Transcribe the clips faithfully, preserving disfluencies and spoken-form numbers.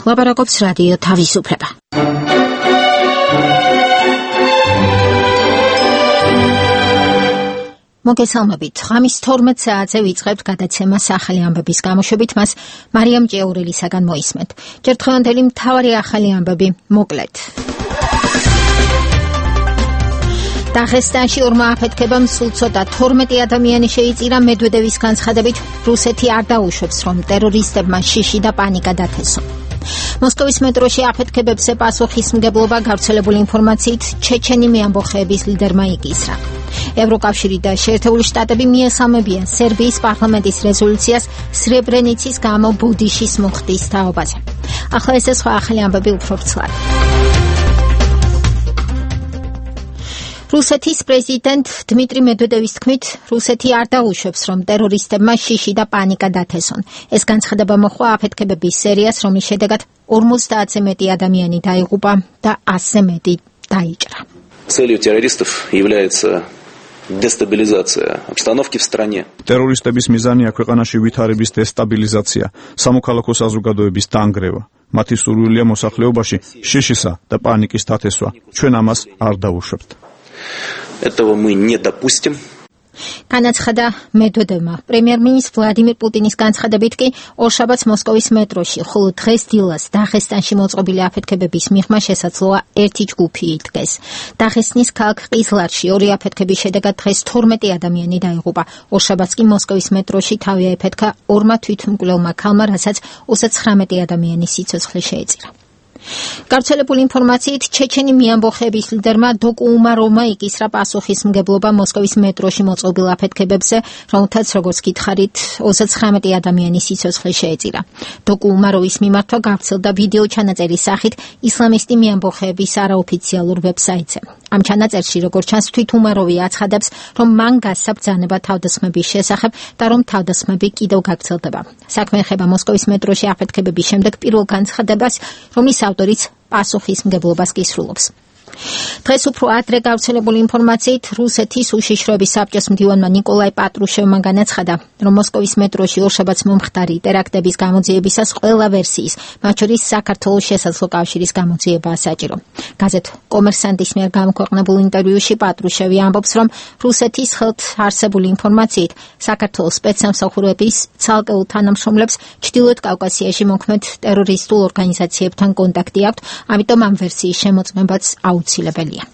ლაპარაკობს რადიო თავისუფლება. მოგესალმებით. ღამის თორმეტ საათზე ვიწყებთ გადაცემას ახალი ამბების გამოშვებით, მას მარიამ ჭეურელისაგან მოისმენთ. ჯერ დღევანდელი მთავარი ახალი ამბები მოკლედ. დაღესტანში ორმა აფეთქებამ სულ ცოტა თორმეტი ადამიანი შეიწირა. მედვედევის განცხადებით, რუსეთი არ დაუშვებს, რომ ტერორისტებმა შიში და პანიკა დათესონ. მოსკოვის მეტროში აფეთქებებზე პასუხისმგებლობა გავრცელებული ინფორმაციით ჩეჩენი მეამბოხეების ლიდერმა იკისრა. ევროკავშირი და შეერთებული შტატები მიესალმებიან სერბიის პარლამენტის რეზოლუციას სრებრენიცის გამო ბუდიშის მუხტის თაობაზე. ახლა ეს სხვა ახალი ამბები უფრო ვრცლად. რუსეთის პრეზიდენტ დმიტრი მედვედევის თქმით, რუსეთი არ დაუშვებს, რომ ტერორისტებმა შიში და პანიკა დათესონ. ეს განცხადება მოჰყვა აფეთქებების სერიას, რომლის შედეგად ორმოცდაათზე მეტი ადამიანი დაიღუპა და ასზე მეტი დაიჭრა. Целью террористов является дестабилизация обстановки в стране. Ტერორისტების მიზანია ქვეყანაში ვითარების დესტაბილიზაცია, სამოქალაქო საზოგადოების დანგრევა. მათი სურვილია მოსახლეობაში შიშისა და პანიკის დათესვა. ჩვენ ამას არ დავუშვებთ. Этого мы не допустим. განაცხადა მედვედევმა. პრემიერ-მინისტრ ვლადიმირ პუტინის განცხადებით კი ორშაბათს მოსკოვის მეტროში, ხოლო დღეს დილას დაღესტანში მოწყობილი აფეთქებების მიღმა შესაძლოა ერთი ჯგუფი იდგეს. დაღესტნის ქალაქ ყიზლარში ორი აფეთქების შედეგად დღეს თორმეტი ადამიანი დაიღუპა. ორშაბათს კი მოსკოვის მეტროში თავი აიფეთქა ორმა თვითმკვლელმა ქალმა, რასაც ოცდაცხრამეტი ადამიანის სიცოცხლე შეეწირა. გავრცელებული ინფორმაციით ჩეჩენი მეამბოხეების ლიდერმა დოკუ უმაროვმა იკისრა პასუხისმგებლობა მოსკოვის მეტროში მოწყობილ აფეთქებებზე, რომელთაც როგორც გითხარით ოცდაცხრამეტი ადამიანის სიცოცხლე შეეწირა. დოკუ უმაროვის მიმართვა გავრცელდა ვიდეო ჩანაწერის სახით ისლამისტი მეამბოხეების არაოფიციალურ ვებსაიტზე. ამ ჩანაწერში, როგორც ჩანს, თვით უმაროვი აცხადებს, რომ მან გასცა ბრძანება თავდასხმების შესახებ და რომ თავდასხმები კიდევ გაგრძელდება. საქმე ეხება მოსკოვის მეტროში აფეთქებების შემდეგ პირველ განცხადებას, რომლის ავტორიც პასუხისმგებლობას კისრულობს. დღეს უფრო ადრე გავრცელებული ინფორმაციით რუსეთის უშიშროების საბჭოს მდივანმა ნიკოლაი პატრუშევმა განაცხადა, რომ მოსკოვის მეტროში ორშაბათს მომხდარი ტერაქტების გამოძიებისას ყველა ვერსიის, მათ შორის საქართველოს შესაძლო კავშირის გამოძიებაა საჭირო. გაზეთ კომერსანტის მიერ გამოქვეყნებულ ინტერვიუში პატრუშევი ამბობს, რომ რუსეთის ხელთ არსებული ინფორმაციით საქართველოს სპეცსამსახურების ცალკეულ თანამშრომლებს ჩრდილოეთ კავკასიაში მოქმედ ტერორისტულ ორგანიზაციებთან კონტაქტი აქვთ, ამიტომ ამ ვერსიის შემოწმებაც აუცილებელია.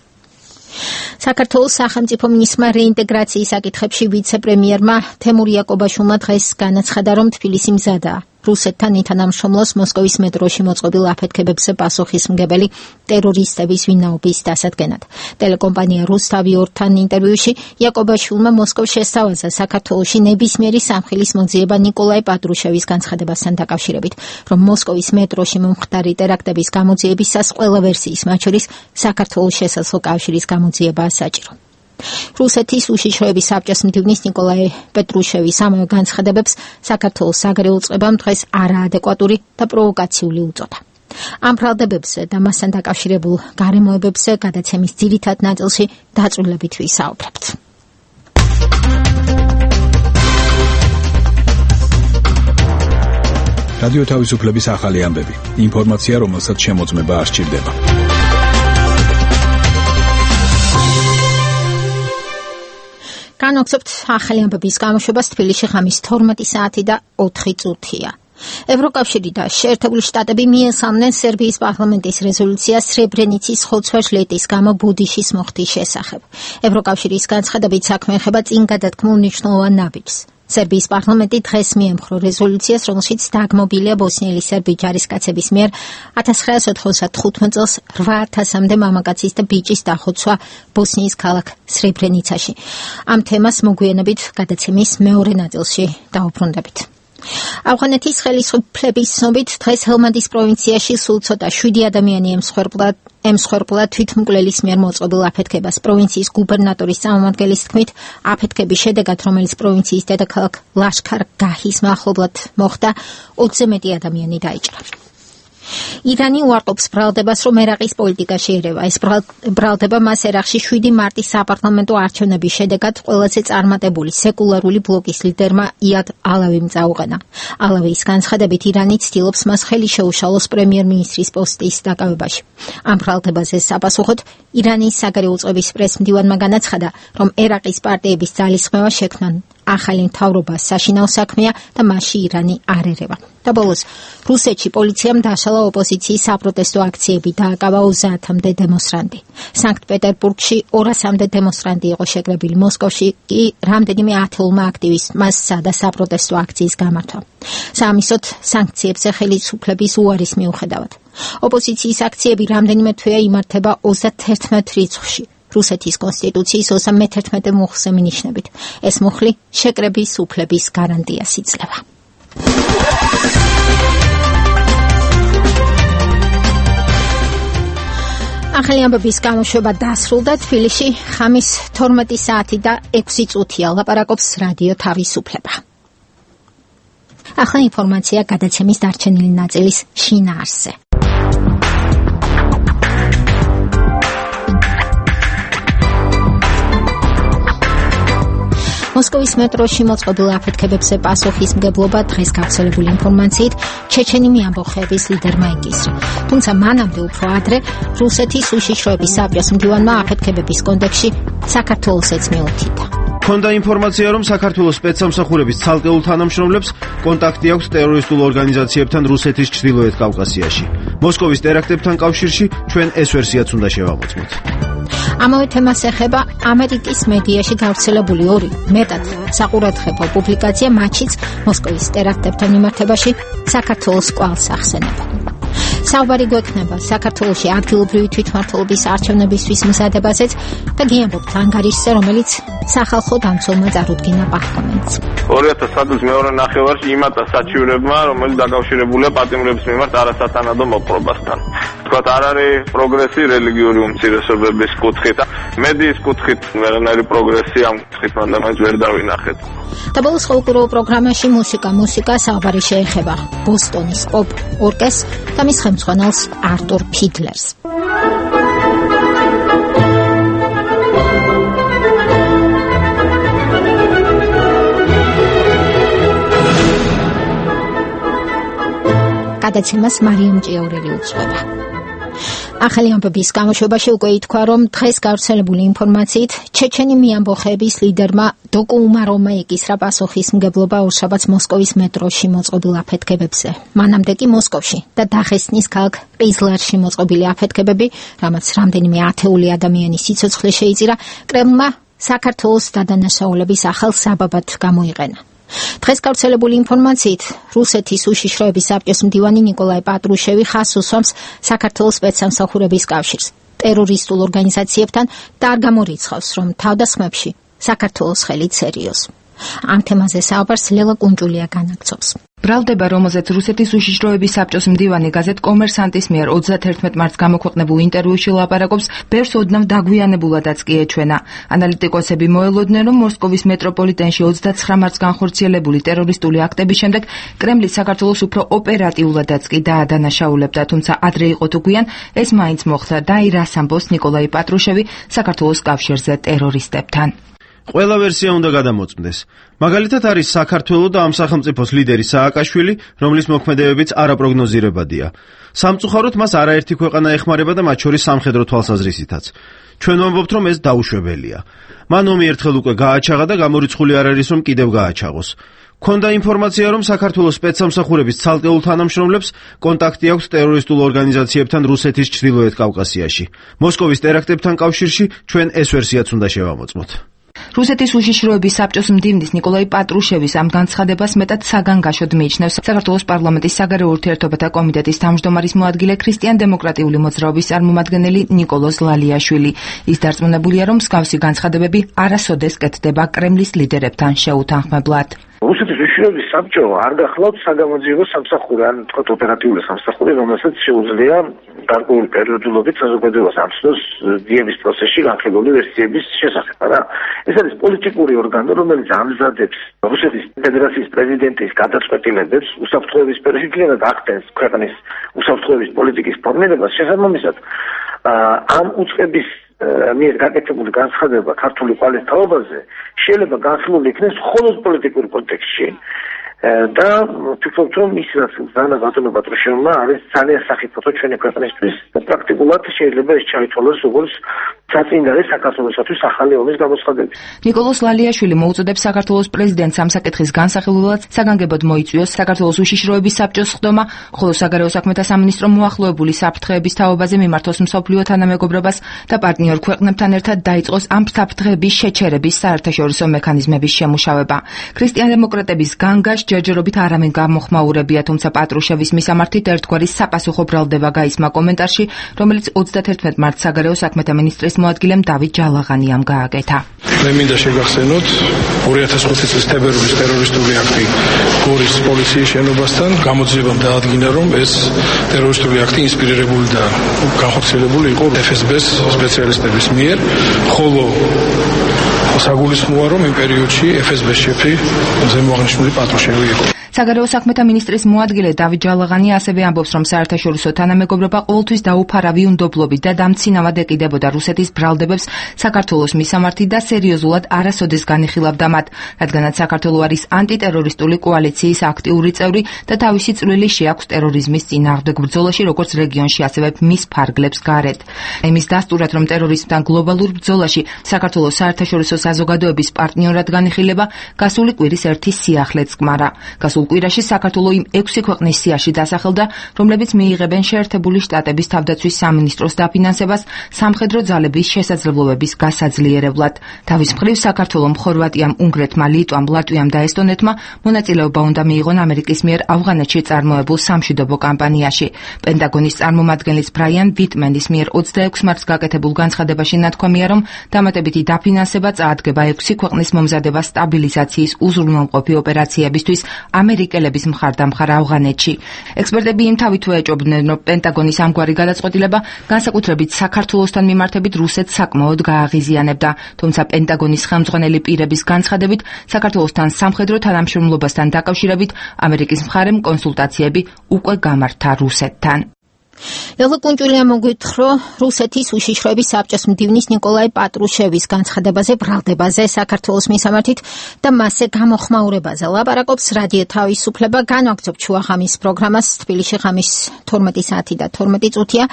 საქართველოს სახელმწიფო მინისტრმა რეინტეგრაციის საკითხებში ვიცე-პრემიერმა თემურ იაკობაშვილმა დღეს განაცხადა, რომ თბილისი მზადაა რუსეთთან ითანამშრომლოს მოსკოვის მეტროში მოწყობილ აფეთქებებზე პასუხისმგებელი ტერორისტების ვინაობის დასადგენად. ტელეკომპანია რუსთავი ორთან ინტერვიუში იაკობაშვილმა მოსკოვს შესთავაზა საქართველოში ნებისმიერი სამხილის მოძიება ნიკოლაი პატრუშევის განცხადებასთან დაკავშირებით, რომ მოსკოვის მეტროში მომხდარი ტერაქტების გამოძიებისას ყველა ვერსიის, მათ შორის საქართველოს შესაძლო კავშირის გამოძიებაა საჭირო. რუსეთის უშიშროების საბჭოს მდივნის ნიკოლაი პეტრუშევის ამავე განცხადებებს საქართველოს საგარეო წყებამ დღეს არაადეკვატური და პროვოკაციული უწოდა. ამ ბრალდებებზე და მასთან დაკავშირებულ გარემოებებზე გადაცემის ძირითად ნაწილში დაწვრილებით ვისაუბრებთ. რადიო თავისუფლების ახალი ამბები. ინფორმაცია, რომელსაც შემოწმება არ სჭირდება. განვაგრძობთ ახალი ამბების გამოშვებას. თბილისში ღამის თორმეტი საათი და ოთხი წუთია. ევროკავშირი და შეერთებული შტატები მიესალმნენ სერბიის პარლამენტის რეზოლუციას სრებრენიცის ხოცვა-ჟლეტის გამო ბუდიშის მუხტის შესახებ. ევროკავშირის განცხადებით საქმე ეხება წინ გადადგმულ მნიშვნელოვან ნაბიჯს. სერბიის პარლამენტი დღეს მიემხრო რეზოლუციას, რომელშიც დაგმობილია ბოსნიელი სერბი ჯარისკაცების მიერ ათას ცხრაასი ოთხმოცდათხუთმეტ წელს რვა ათასამდე მამაკაცის და ბიჭის დახოცვა ბოსნიის ქალაქ სრებრენიცაში. ამ თემას მოგვიანებით გადაცემის მეორე ნაწილში დავუბრუნდებით. ავღანეთის ხელისუფლების ცნობით დღეს ჰელმანდის პროვინციაში სულ ცოტა შვიდი ადამიანი ემსხვერპლა ემსხვერპლა თვითმკვლელის მიერ მოწყობილ აფეთქებას. პროვინციის გუბერნატორის წარმომადგენლის თქმით, აფეთქების შედეგად, რომელიც პროვინციის დედაქალაქ ლაშქარ-გაჰის მახლობლად მოხდა, ოცზე მეტი ადამიანი დაიჭრა. ირანი უარყოფს ბრალდებას, რომ ერაყის პოლიტიკა შეერევა. ეს ბრალდება მას ერაყში შვიდი მარტის საპარლამენტო არჩევნების შედეგად ყველაზე წარმატებული სეკულარული ბლოკის ლიდერმა იად ალავიმ წაუყენა. ალავის განცხადებით ირანი ცდილობს მას ხელი შეუშალოს პრემიერ-მინისტრის პოსტის დაკავებაში. ამ ბრალდებაზე საპასუხოდ ირანის საგარეო წყობის პრესმდივანმა განაცხადა, რომ ერაყის პარტიების ძალისხმევა შექმნან ახალი მთავრობა საშინაო საქმეა და მასში ირანი არ ერევა. და ბოლოს რუსეთში პოლიციამ დაშალა ოპოზიციის საპროტესტო აქციები, დააკავა ოცდაათამდე დემონსტრანტი. სანქტ-პეტერბურგში ორასამდე დემონსტრანტი იყო შეკრებილი, მოსკოვში კი რამდენიმე ათეულმა აქტივისტმა სცადა საპროტესტო აქციის გამართვა. საამისოდ სანქციებზე ხელისუფლების უარის მიუხედავად. ოპოზიციის აქციები რამდენიმე თვეა იმართება ოცდაათერთმეტ რიცხვში. რუსეთის კონსტიტუციის ოცდამეთერთმეტე მუხლზე მინიშნებით. ეს მუხლი შეკრების უფლების გარანტიას იძლევა. ახალი ამბების გამოშვება დასრულდა. თბილისში ხამის თორმეტი საათი და ექვსი წუთია. ლაპარაკობს რადიო თავისუფლება. ახლა ინფორმაცია გადაცემის დარჩენილი ნაწილის შინაარსზე. მოსკოვის მეტროში მოწყობილ აფეთქებებზე პასუხისმგებლობა დღეს გავრცელებული ინფორმაციით ჩეჩენიმი ამბოხების ლიდერმა იკისრა. თუმცა მანამდე უფრო ადრე რუსეთის უშიშროების საბჭოს მდივანმა აფეთქებების კონტექსტში საქართველოსაც მიუთითა. ქონდა ინფორმაცია, რომ საქართველოს სპეცსამსახურების ცალკეულ თანამშრომლებს კონტაქტი აქვს ტერორისტულ ორგანიზაციებთან რუსეთის ჩრდილოეთ კავკასიაში. მოსკოვის ტერაქტებთან კავშირში ჩვენ ეს ვერსიაც უნდა შევამოწმოთ. ამავე თემას ეხება ამერიკის მედიაში გავრცელებული ორი მეტად საყურადღებო პუბლიკაცია, მათშიც მოსკოვის ტერაქტებთან მიმართებაში საქართველოს კვალს ახსენება. საუბარი გვექნება საქართველოში ადგილობრივი თვითმმართველობის არჩევნებისთვის მზადებაზეც და გიამბობთ ანგარიშზე, რომელიც სახალხო დამცველმა წარუდგინა პარლამენტს. ორი ათას ათი წლის მეორე ნახევარში იმატა საჩივრებმა, რომელიც დაკავშირებულია პატიმრების მიმართ არასათანადო მოპყრობასთან. თქვათ, არ არის პროგრესი რელიგიური უმცირესობების კუთხით, მედიის კუთხით ვერანაირი პროგრესი ამ კუთხით მანდამაც ვერ დავინახეთ. და ბოლოს ხოლმე პროგრამაში მუსიკა, მუსიკა საუბარი შეეხება ბოსტონის პოპ ორკესტრს და მის ხელმძღვანელს არტურ ფიდლერს. გადაცემას მარიამ ჭიაურელი უძღვება. ახალი ამბების გამოშვებაში უკვე ითქვა, რომ დღეს გავრცელებული ინფორმაციით ჩეჩენიმი ამბოხების ლიდერმა დოკუ უმაროვმა იკისრა პასუხისმგებლობა ორშაბათს მოსკოვის მეტროში მოწყობილ აფეთქებებზე. მანამდე კი მოსკოვში და დაღესტნის ქალაქ ყიზლარში მოწყობილი აფეთქებები, რამაც რამდენიმე ათეული ადამიანის სიცოცხლე შეიწირა, კრემლმა საქართველოს დადანაშაულების ახალ საბაბად გამოიყენა. დღეს გავრცელებული ინფორმაციით რუსეთის უშიშროების საბჭოს მდივანი ნიკოლაი პატრუშევი ხაზს უსვამს საქართველოს სპეცსამსახურების კავშირს ტერორისტულ ორგანიზაციებთან და არ გამორიცხავს, რომ თავდასხმებში საქართველოს ხელით სერიოზ. ამ თემაზე საუბარს ლელა კუნჭულია განაგრძობს. ბრალდება, რომელზეც რუსეთის უშიშროების საბჭოს მდივანი გაზეთ კომერსანტის მიერ ოცდათერთმეტ მარტს გამოქვეყნებულ ინტერვიუში ლაპარაკობს, ბევრს ოდნავ დაგვიანებულადაც კი ეჩვენა. ანალიტიკოსები მოელოდნენ, რომ მოსკოვის მეტროპოლიტენში ოცდაცხრა მარტს განხორციელებული ტერორისტული აქტების შემდეგ კრემლი საქართველოს უფრო ოპერატიულადაც კი დაადანაშაულებდა, თუმცა ადრე იყო თუ გვიან ეს მაინც მოხდა და აი რას ამბობს ნიკოლაი პატრუშევი საქართველოს კავშირზე ტერორისტებთან. ყველა ვერსია უნდა გადამოწმდეს. მაგალითად არის საქართველო და ამ სახელმწიფოს ლიდერი სააკაშვილი, რომლის მოქმედებებიც არაპროგნოზირებადია. სამწუხაროდ მას არაერთი ქვეყანა ეხმარება და მათ შორის სამხედრო თვალსაზრისითაც. ჩვენ ვამბობთ, რომ ეს დაუშვებელია. მან ომი ერთხელ უკვე გააჩაღა და გამორიცხული არ არის, რომ კიდევ გააჩაღოს. ქონდა ინფორმაცია, რომ საქართველოს სპეცსამსახურების ცალკეულ თანამშრომლებს კონტაქტი აქვს ტერორისტულ ორგანიზაციებთან რუსეთის ჩრდილოეთ კავკასიაში. მოსკოვის ტერაქტებთან კავშირში ჩვენ ეს ვერსიაც უნდა შევამოწმოთ. რუსეთის უშიშროების საბჭოს მდივნის ნიკოლაი პატრუშევის ამ განცხადებას მეტად საგანგაშოდ მიიჩნევს საქართველოს პარლამენტის საგარეო ურთიერთობათა კომიტეტის თავმჯდომარის მოადგილე ქრისტიან-დემოკრატიული მოძრაობის წარმომადგენელი ნიკოლოზ ლალიაშვილი. ის დარწმუნებულია, რომ მსგავსი განცხადებები არასოდეს კეთდება კრემლის ლიდერებთან შეუთანხმებლად. რუსეთის უშიშროების საბჭო არ გახლავთ საგამოძიებო სამსახური, ან თქვათ ოპერატიული სამსახური, რომელსაც შეუძლია გარკვეული პერიოდულობით საზოგადოებას ამცნობს დიების პროცესში განხილული ვერსიების შესახებ, რა. ეს არის პოლიტიკური ორგანო, რომელიც ამზადებს რუსეთის ფედერაციის პრეზიდენტის გადაწყვეტილებებს უსაფრთხოების სფეროში ძალიანად ახდენს ქვეყნის უსაფრთხოების პოლიტიკის ფორმირებას, შესაბამისად ამ უწყების მიერ გაკეთებული განცხადება ქართული ყალის თაობაზე შეიძლება განხილული იქნეს მხოლოდ პოლიტიკურ კონტექსტში და ვფიქრობ, რომ ის რაც ზანა ბატონო პატრუშევმა არის ძალიან სახიფათო ჩვენი ქვეყნისთვის და პრაქტიკულად შეიძლება ეს ჩაითვალოს როგორც საწინდარი საქართველოსთვის ახალი ომის გამოცხადების. ნიკოლოზ ლალიაშვილი მოუწოდებს საქართველოს პრეზიდენტს ამ საკითხის განსახილველად საგანგებოდ მოიწვიოს საქართველოს უშიშროების საბჭოს ხდომა, ხოლო საგარეო საქმეთა სამინისტრო მოახლოებული საფრთხეების თაობაზე მიმართოს მსოფლიო თანამეგობრობას და პარტნიორ ქვეყნებთან ერთად დაიწყოს ამ საფრთხეების შეჩერების საერთაშორისო მექანიზმების შემუშავება. ქრისტიან-დემოკრატების განგაშ ჯერჯერობით არავინ გამოხმაურებია, თუმცა პატრუშევის მისამართით ერთგვარი საპასუხო ბრალდება გაისმა კომენტარში, რომელიც ოცდათერთმეტ მარტს საგარეო საქმეთა მინისტრის მოადგილემ დავით ჯალაღანიამ გააკეთა. მე მინდა შეგახსენოთ ორი ათას ხუთი წლის თებერვლის ტერორისტული აქტი გორის პოლიციის შენობასთან. გამოძიებამ დაადგინა, რომ ეს ტერორისტული აქტი ინსპირირებული და განხორციელებული იყო ეფ ეს ბეს სპეციალისტების მიერ, ხოლო საგულისხმოა, რომ იმ პერიოდში ეფ ეს ბეს შეფი ზემოაღნიშნული პატრუშევი იყო. საგარეო საქმეთა მინისტრის მოადგილე დავით ჯალაღანი ასევე ამბობს, რომ საერთაშორისო თანამეგობრობა ყოველთვის დაუფარავი უნდობლობით და დამცინავად ეკიდებოდა რუსეთის ბრალდებებს საქართველოს მისამართით და სერიოზულად არასოდეს განიხილავდა მათ, რადგანაც საქართველო არის ანტიტერორისტული კოალიციის აქტიური წევრი და თავისი წვლილი შეაქვს ტერორიზმის წინააღმდეგ ბრძოლაში, როგორც რეგიონში, ასევე მის ფარგლებს გარეთ. იმის დასტურად, რომ ტერორიზმთან გლობალურ ბრძოლაში საქართველოს საერთაშორისო საზოგადოების პარტნიორად განიხილება, გასული კვირის ერთი სიახლეც კმარა. კვირაში საქართველო იმ ექვსი ქვეყნის სიაში დასახელდა, რომლებიც მიიღებენ შეერთებული შტატების თავდაცვის სამინისტროს დაფინანსებას სამხედრო ძალების შესაძლებლობების გასაძლიერებლად. თავის მხრივ საქართველომ, ხორვატიამ, უნგრეთმა, ლიტვამ, ლატვიამ და ესტონეთმა მონაწილეობა უნდა მიიღონ ამერიკის მიერ ავღანეთში წარმოებულ სამშვიდობო კამპანიაში. პენტაგონის წარმომადგენლის ბრაიან ვიტმენის მიერ ოცდაექვსი მარტს გაკეთებულ განცხადებაში ნათქვამია, რომ დამატებითი დაფინანსება წაადგება ექვსი ქვეყნის მომზადება სტაბილიზაციის უზრუნველყოფი ოპერაციებისთვის ამერიკელების მხარდამხარ ავღანეთში. ექსპერტები იმ თავით ეჭობდნენ, რომ პენტაგონის ამგვარი გადაწყვეტილება განსაკუთრებით საქართველოსთან მიმართებით რუსეთს საკმაოდ გააღიზიანებდა, თუმცა პენტაგონის ხელმძღვანელი პირების განცხადებით საქართველოსთან სამხედრო თანამშრომლობასთან დაკავშირებით ამერიკის მხარემ კონსულტაციები უკვე გამართა რუსეთთან. ელო კუნჭულია მოგვითხრა რუსეთის უშიშროების საბჭოს მდივნის ნიკოლაი პატრუშევის განცხადებაზე ბრალდებაზე საქართველოს მისამართით და მასზე გამოხმაურებაზე. ლაპარაკობს რადიო თავისუფლება. განვაგრძობ ჩუაღამის პროგრამას. თბილისში ღამის თორმეტი საათი და თორმეტი წუთია.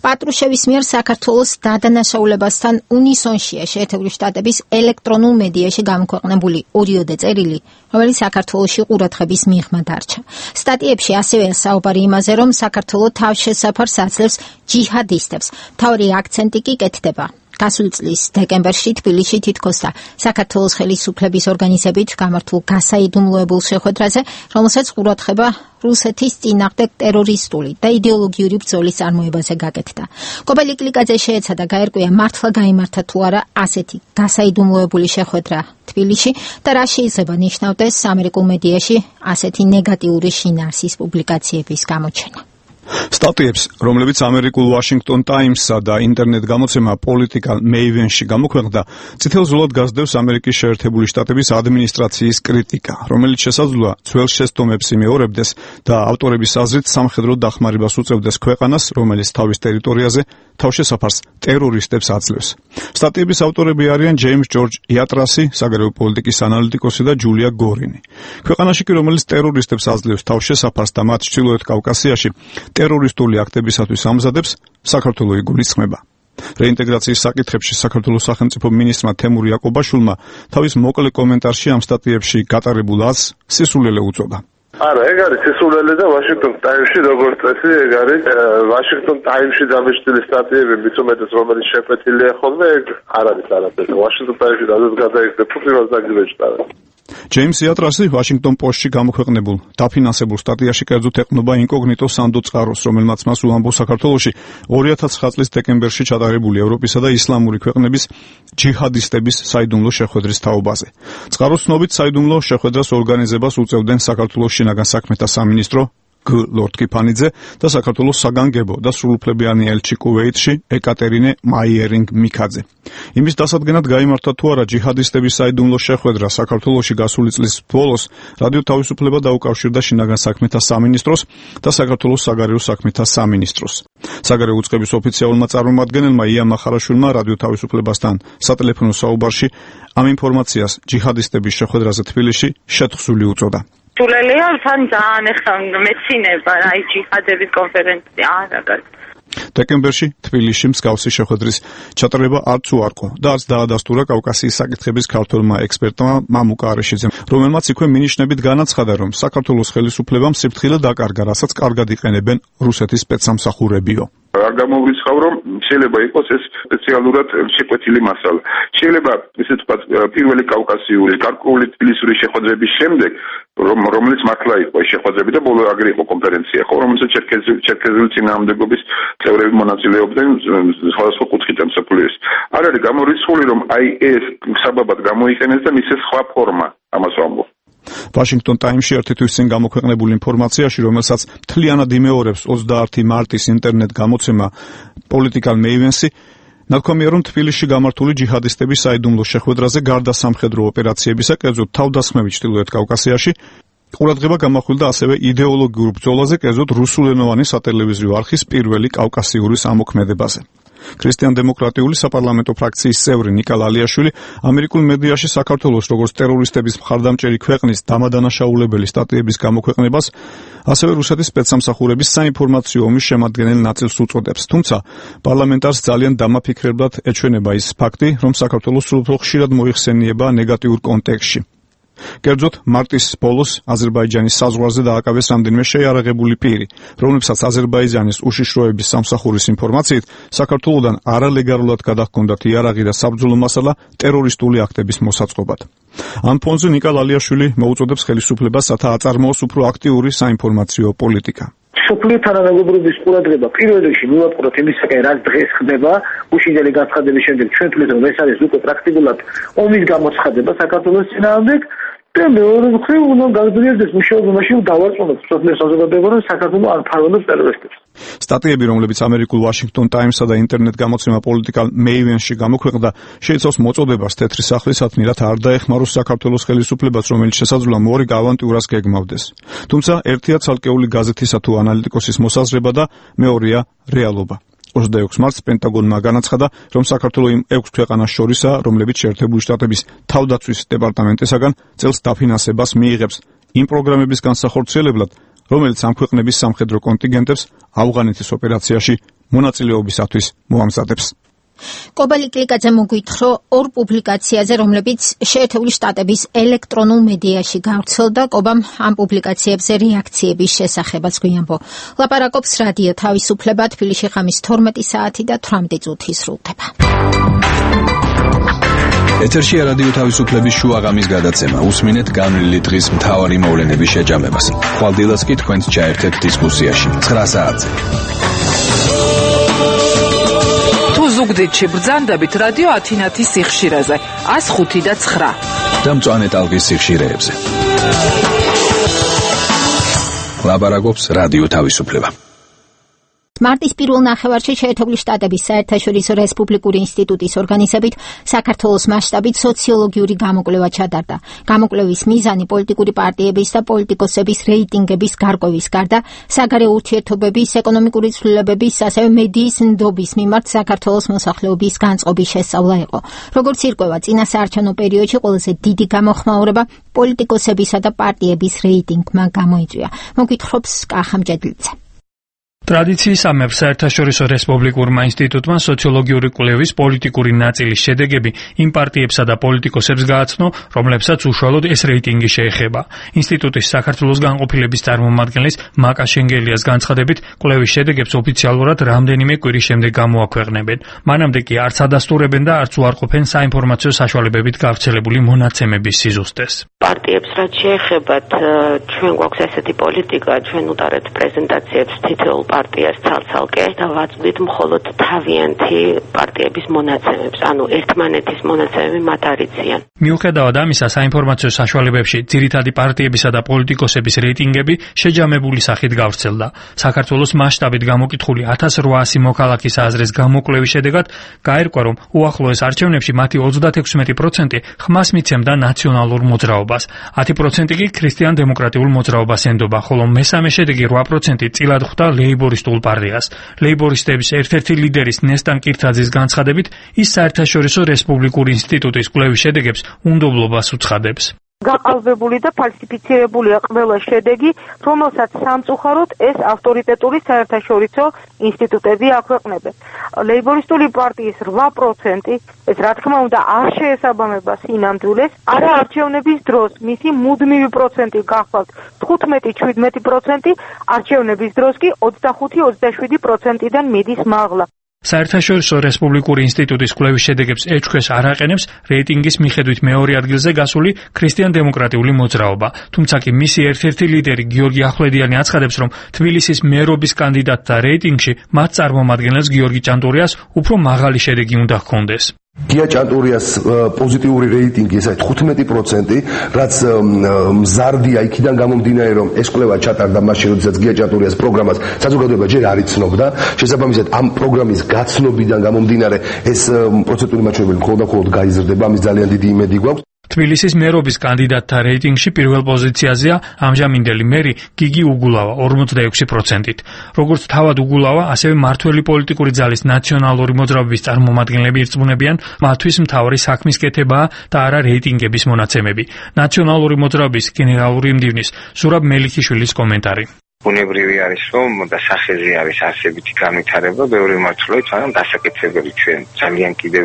პატრუშევის მიერ საქართველოს დადანაშაულებასთან უნისონშია შეერთებული შტატების ელექტრონულ მედიაში გამოქვეყნებული ორიოდე წერილი, რომელიც საქართველოში ყურადღების მიღმა დარჩა. სტატიებში ასევე საუბარი იმაზე, რომ საქართველოს თავშესაფრ საძლევს ჯიჰადისტებს. მთავარი აქცენტი კი კეთდება გასული წლის დეკემბერში თბილისში თითქოს და საქართველოს ხელისუფლების ორგანიზებით გამართულ გასაიდუმლოებულ შეხვედრაზე, რომელსაც ყურადღება რუსეთის წინააღმდეგ ტერორისტული და იდეოლოგიური ბრძოლის წარმოებაზე გაკეთდა. კობელი კლიკაძე შეეცადა გაერკვია, მართლა გაიმართა თუ არა ასეთი გასაიდუმლოებული შეხვედრა თბილისში და რა შეიძლება ნიშნავდეს ამერიკულ მედიაში ასეთი ნეგატიური შინაარსის პუბლიკაციების გამოჩენა. სტატიებს, რომლებიც ამერიკულ Washington Times-სა და ინტერნეტ გამოცემა Political Maven-ში გამოქვეყნდა, წითელ ზოლად გასდევს ამერიკის შეერთებული შტატების ადმინისტრაციის კრიტიკა, რომელიც შესაძლოა ძველ შეცდომებს იმეორებდეს და ავტორების აზრით სამხედრო დახმარებას უწევდეს ქვეყანას, რომელიც თავის ტერიტორიაზე თავშესაფარს ტერორისტებს აძლევს. სტატიების ავტორები არიან ჯეიმს ჯორჯ იატრასი, საგარეო პოლიტიკის ანალიტიკოსი და ჯულია გორინი. ქვეყანაში კი, რომელიც ტერორისტებს აძლევს თავშესაფარს და მათ ჩრდილოეთ კავკასიაში ტერორისტული აქტებისათვის ამზადებს, საქართველო იგულისხმება. რეინტეგრაციის საკითხებში საქართველოს სახელმწიფო მინისტრმა თემურ იაკობაშვილმა თავის მოკლე კომენტარში ამ სტატიებში გატარებულ აზრს სისულელე უწოდა. არა, ეგ არის სისულელე და Washington Times-ში როგორც წესი, ეგ არის Washington Times-ში დამეშტილი სტატიები, მით უმეტეს რომელიც შეფეთილია ხოლმე, ეგ არ არის არაფერი. Washington Times-ში სადაც გადაიხდა ფუტკრას დაგიჟდა. ჯეიმს იატრასი Washington Post-ში გამოქვეყნებულ დაფინანსებულ სტატიაში კერძოდ ეყნობა ინკოგნიტო სანდო წყაროს, რომელმაც მას უამბობს საქართველოში ორი ათას ცხრა წლის დეკემბერში ჩატარებული ევროპისა და ისლამური ქვეყნების ჯიჰადისტების საიდუმლო შეხვედრის თაობაზე. წყაროს ცნობით საიდუმლო შეხვედრას ორგანიზებას უწევდნენ საქართველოს შინაგან საქმეთა სამინისტრო, გ ლორდ კიფანიძე და საქართველოს საგანგებო და სრულუფლებიანი ელჩი კუვეითში ეკატერინე მაიერინგ-მიქაძე. იმის დასადგენად გაიმართა თუ არა ჯიჰადისტების საიდუმლო შეხვედრა საქართველოში გასული წლის ბოლოს რადიო თავისუფლება დაუკავშირდა შინაგან საქმეთა სამინისტროს და საქართველოს საგარეო საქმეთა სამინისტროს. საგარეო უწყების ოფიციალურმა წარმომადგენელმა ია მახარაშვილმა რადიო თავისუფლებასთან სატელეფონო საუბარში ამ ინფორმაციას ჯიჰადისტების შეხვედრაზე თბილისში შეთხზული უწოდა. სულელია თან ძალიან ეხლა მეცინება აი ჯიჰადების კონფერენცია არა დეკემბერში თბილისში მსგავსი შეხვედრის ჩატარება არც უარყო და არც დაადასტურა კავკასიის საკითხების ქართველმა ექსპერტმა მამუკა არეშიძემ, რომელმაც იქვე მინიშნებით განაცხადა, რომ საქართველოს ხელისუფლებამ სიფრთხილე დაკარგა, რასაც კარგად იყენებენ რუსეთის სპეცსამსახურებიო. არ გამოვრიცხავ, რომ შეიძლება იყოს ეს სპეციალურად შეკვეთილი მასალა. შეიძლება ისე თქვათ პირველი კავკასიური გარკვეული თბილისური შეხვედრების შემდეგ, რომ რომელიც მართლა იყო შეხვედრები და ბოლო აგრე იყო კონფერენცია, ხო, რომელსაც ჩერქეზული წინააღმდეგობის წევრები მონაწილეობდნენ სხვადასხვა კუთხით მსოფლიოს. არ არის გამორიცხული, რომ აი ეს საბაბად გამოიყენეს და მისცეს სხვა ფორმა ამას ვამბობ. Washington Times-ში ერთი თვის წინ გამოქვეყნებულ ინფორმაციაში, რომელსაც მთლიანად იმეორებს ოცდაათი მარტის ინტერნეტ გამოცემა Political Maven-ი, ნათქვამია, რომ თბილისში გამართული ჯიჰადისტების საიდუმლო შეხვედრაზე გარდა სამხედრო ოპერაციებისა, კერძოდ თავდასხმებით ჩრდილოეთ კავკასიაში, ყურადღება გამახვილდა ასევე იდეოლოგიურ ბრძოლაზე, კერძოდ რუსულენოვანი სატელევიზიო არხის პირველი კავკასიური სამოქმედებაზე. ქრისტიან-დემოკრატიული საპარლამენტო ფრაქციის წევრი ნიკა ლალიაშვილი ამერიკულ მედიაში საქართველოს როგორც ტერორისტების მხარდამჭერი ქვეყნის დამადანაშაულებელი სტატიების გამოქვეყნებას, ასევე რუსეთის სპეცსამსახურების საინფორმაციო ომის შემადგენელ ნაწილს უწოდებს. თუმცა პარლამენტარს ძალიან დამაფიქრებლად ეჩვენება ის ფაქტი, რომ საქართველოს სულ უფრო ხშირად მოიხსენიება ნეგატიურ კონტექსტში. კერძოდ, მარტის ბოლოს აზერბაიჯანის საზღვარზე დააკავეს რამდენიმე შეიარაღებული პირი, რომლებსაც აზერბაიჯანის უშიშროების სამსახურის ინფორმაციით საქართველოდან არალეგალურად გადაჰქონდათ იარაღი და საბრძოლო მასალა ტერორისტული აქტების მოსაწყობად. ამ ფონზე ნიკა ლალიაშვილი მოუწოდებს ხელისუფლებას, რათა აწარმოოს უფრო აქტიური საინფორმაციო პოლიტიკა. სოფლიო თანამეგობრობის ყურადღება პირველ რიგში მივაყვროთ იმისაკენ, რაც დღეს ხდება, უშინდელი განცხადების შემდეგ ჩვენ თვლით, რომ ეს არის უკვე პრაქტიკულად ომის გამოცხადება საქართველოს წინააღმდეგ. და მეორე მხრივ უნდა გაგრძელდეს მუშაობა მაშინ დავარწმუნოთ სოფლიო საზოგადოება, რომ საქართველო არ ფარველობს ტერორისტებს. სტატიები, რომლებიც ამერიკულ Washington Times-სა და ინტერნეტ გამოცემა Political Maven-ში გამოქვეყნდა, შეიცავს მოწოდებას თეთრი სახლისადმი, რათა არ დაეხმაროს საქართველოს ხელისუფლებას, რომელიც შესაძლოა მორიგ ავანტიურას გეგმავდეს. თუმცა ერთია ცალკეული გაზეთისა თუ ანალიტიკოსის მოსაზრება და მეორეა რეალობა. ოცდაექვსი მარტს პენტაგონმა განაცხადა, რომ საქართველოს იმ ექვს ქვეყანას შორისაა, რომლებიც შეერთებული შტატების თავდაცვის დეპარტამენტისაგან წელს დაფინანსებას მიიღებს იმ პროგრამების განსახორციელებლად, რომელიც ამ ქვეყნების სამხედრო კონტინგენტებს ავღანეთის ოპერაციაში მონაწილეობისათვის მოამზადებს. კობალი კლიკაძე მოგვითხრო ორ პუბლიკაციაზე, რომლებიც შეერთებული შტატების ელექტრონულ მედიაში გავრცელდა. კობამ ამ პუბლიკაციებზე რეაქციების შესახებაც გვიამბო. ლაპარაკობს რადიო თავისუფლება, თბილისში ხამის თორმეტი საათი და თვრამეტი წუთი სრულდება. ეთერშია რადიო თავისუფლების შუაღამის გადაცემა. უსმინეთ განვლილი დღის მთავარი მოვლენების შეჯამებას. ხვალდილას კი თქვენს ჩაერთეთ დისკუსიაში. ცხრა საათზე. ზუგდიდში ბრძანდებით რადიო ათინათის სიხშირეზე ას ხუთი და ცხრა და მწვანე ტალღის სიხშირეებზე. ლაპარაკობს რადიო თავისუფლება. მარტის პირველ ნახევარში შეერთებული შტატების საერთაშორისო რესპუბლიკური ინსტიტუტის ორგანიზებით საქართველოს მასშტაბით სოციოლოგიური გამოკვლევა ჩატარდა. გამოკვლევის მიზანი პოლიტიკური პარტიების და პოლიტიკოსების რეიტინგების გარკვევის გარდა საგარეო ურთიერთობების, ეკონომიკური ცვლილებების, ასევე მედიის ნდობის მიმართ საქართველოს მოსახლეობის განწყობის შესწავლა იყო. როგორც ირკვევა, წინა საარჩევნო პერიოდში ყველაზე დიდი გამოხმაურება პოლიტიკოსებისა და პარტიების რეიტინგმა გამოიწვია. მოგვითხრობს კახა მჭედლიძე. ტრადიციის ამებ საერთაშორისო რესპუბლიკურმა ინსტიტუტმა სოციოლოგიური კვლევის პოლიტიკური ნაწილის შედეგები იმ პარტიებსა და პოლიტიკოსებს გააცნო, რომლებსაც უშუალოდ ეს რეიტინგი შეეხება. ინსტიტუტის საქართველოს განყოფილების წარმომადგენლის მაკა შენგელიას განცხადებით, კვლევის შედეგებს ოფიციალურად რამდენიმე კვირის შემდეგ გამოაქვეყნებენ. მანამდე კი არც ადასტურებენ და არც უარყოფენ საინფორმაციო საშუალებებით გავრცელებული მონაცემების სიზუსტეს. პარტიებს რაც შეეხებათ, ჩვენ გვაქვს ესეთი პოლიტიკა, ჩვენ უტარებთ პრეზენტაციებს თითოეულ პარტიას ცალ-ცალკე და ვაწვდით მხოლოდ თავიანთი პარტიების მონაცემებს, ანუ ერთმანეთის მონაცემები მათ არ იციან. მიუხედავად ამისა, საინფორმაციო საშუალებებში ძირითადი პარტიებისა და პოლიტიკოსების რეიტინგები შეჯამებული სახით გავრცელდა. საქართველოს მასშტაბით გამოკითხული ათას რვაასი მოქალაქის აზრის გამოკვლევის შედეგად გაირკვა, რომ უახლოეს არჩევნებში მათი ოცდაექვსი პროცენტი ხმას მიცემდა ნაციონალურ მოძრაობას, ათი პროცენტი კი ქრისტიან-დემოკრატიულ მოძრაობას ენდობა, ხოლო მესამე შედეგი რვა პროცენტი წილად ხვდა ლეიბორისტულ პარტიას. ლეიბორისტების ერთ-ერთი ლიდერის ნესტან კირთაძის განცხადებით, ის საერთაშორისო რესპუბლიკური ინსტიტუტის კვლევის შედეგებს უნდობლობას უცხადებს. გაყალბებული და ფალსიფიცირებულია ყველა შედეგი, რომელსაც სამწუხაროდ ეს ავტორიტეტული საერთაშორისო ინსტიტუტები აქვეყნებენ. ლეიბორისტული პარტიის რვა პროცენტი, ეს რა თქმა უნდა არ შეესაბამება სინამდვილეს, არა არჩევნების დროს მისი მუდმივი პროცენტი გახლავთ თხუთმეტი შვიდმეტი პროცენტი, არჩევნების დროს კი ოცდახუთი ოცდაშვიდი პროცენტიდან მიდის მაღლა. საერთაშორისო რესპუბლიკური ინსტიტუტის კვლევის შედეგებს ეჩქვეშ არ აყენებს რეიტინგის მიხედვით მეორე ადგილზე გასული ქრისტიან-დემოკრატიული მოძრაობა, თუმცა კი მისი ერთ-ერთი ლიდერი გიორგი ახვლედიანი აცხადებს, რომ თბილისის მერობის კანდიდატთა რეიტინგში მათ წარმომადგენელს გიორგი ჭანტურიას უფრო მაღალი შედეგი უნდა ჰქონდეს. გია ჭანტურიას პოზიტიური რეიტინგი ესაა თხუთმეტი პროცენტი, რაც მზარდია იქიდან გამომდინარე, რომ ეს კვლევა ჩატარდა მაშინ, როდესაც გია ჭანტურიას პროგრამას საზოგადოება ჯერ არ იცნობდა. შესაბამისად, ამ პროგრამის გაცნობიდან გამომდინარე, ეს პროცენტული მაჩვენებელი მხოლოდ და მხოლოდ გაიზრდება, ამის ძალიან დიდი იმედი გვაქვს. თბილისის მერობის კანდიდატთა რეიტინგში პირველ პოზიციაზეა ამჟამინდელი მერი გიგი უგულავა ორმოცდაექვსი პროცენტით. როგორც თავად უგულავა, ასევე მართველი პოლიტიკური ძალის ნაციონალური მოძრაობის წარმომადგენლები ირწმუნებიან, მათთვის მთავარი საქმის კეთებაა და არა რეიტინგების მონაცემები. ნაციონალური მოძრაობის გენერალური მდივნის ზურაბ მელიქიშვილის კომენტარი. ბუნებრივი არის, რომ და სახეზე არის არსებითი განვითარება, ბევრი მართლობით, მაგრამ დასაკეთებელი ჩვენ ძალიან კიდევ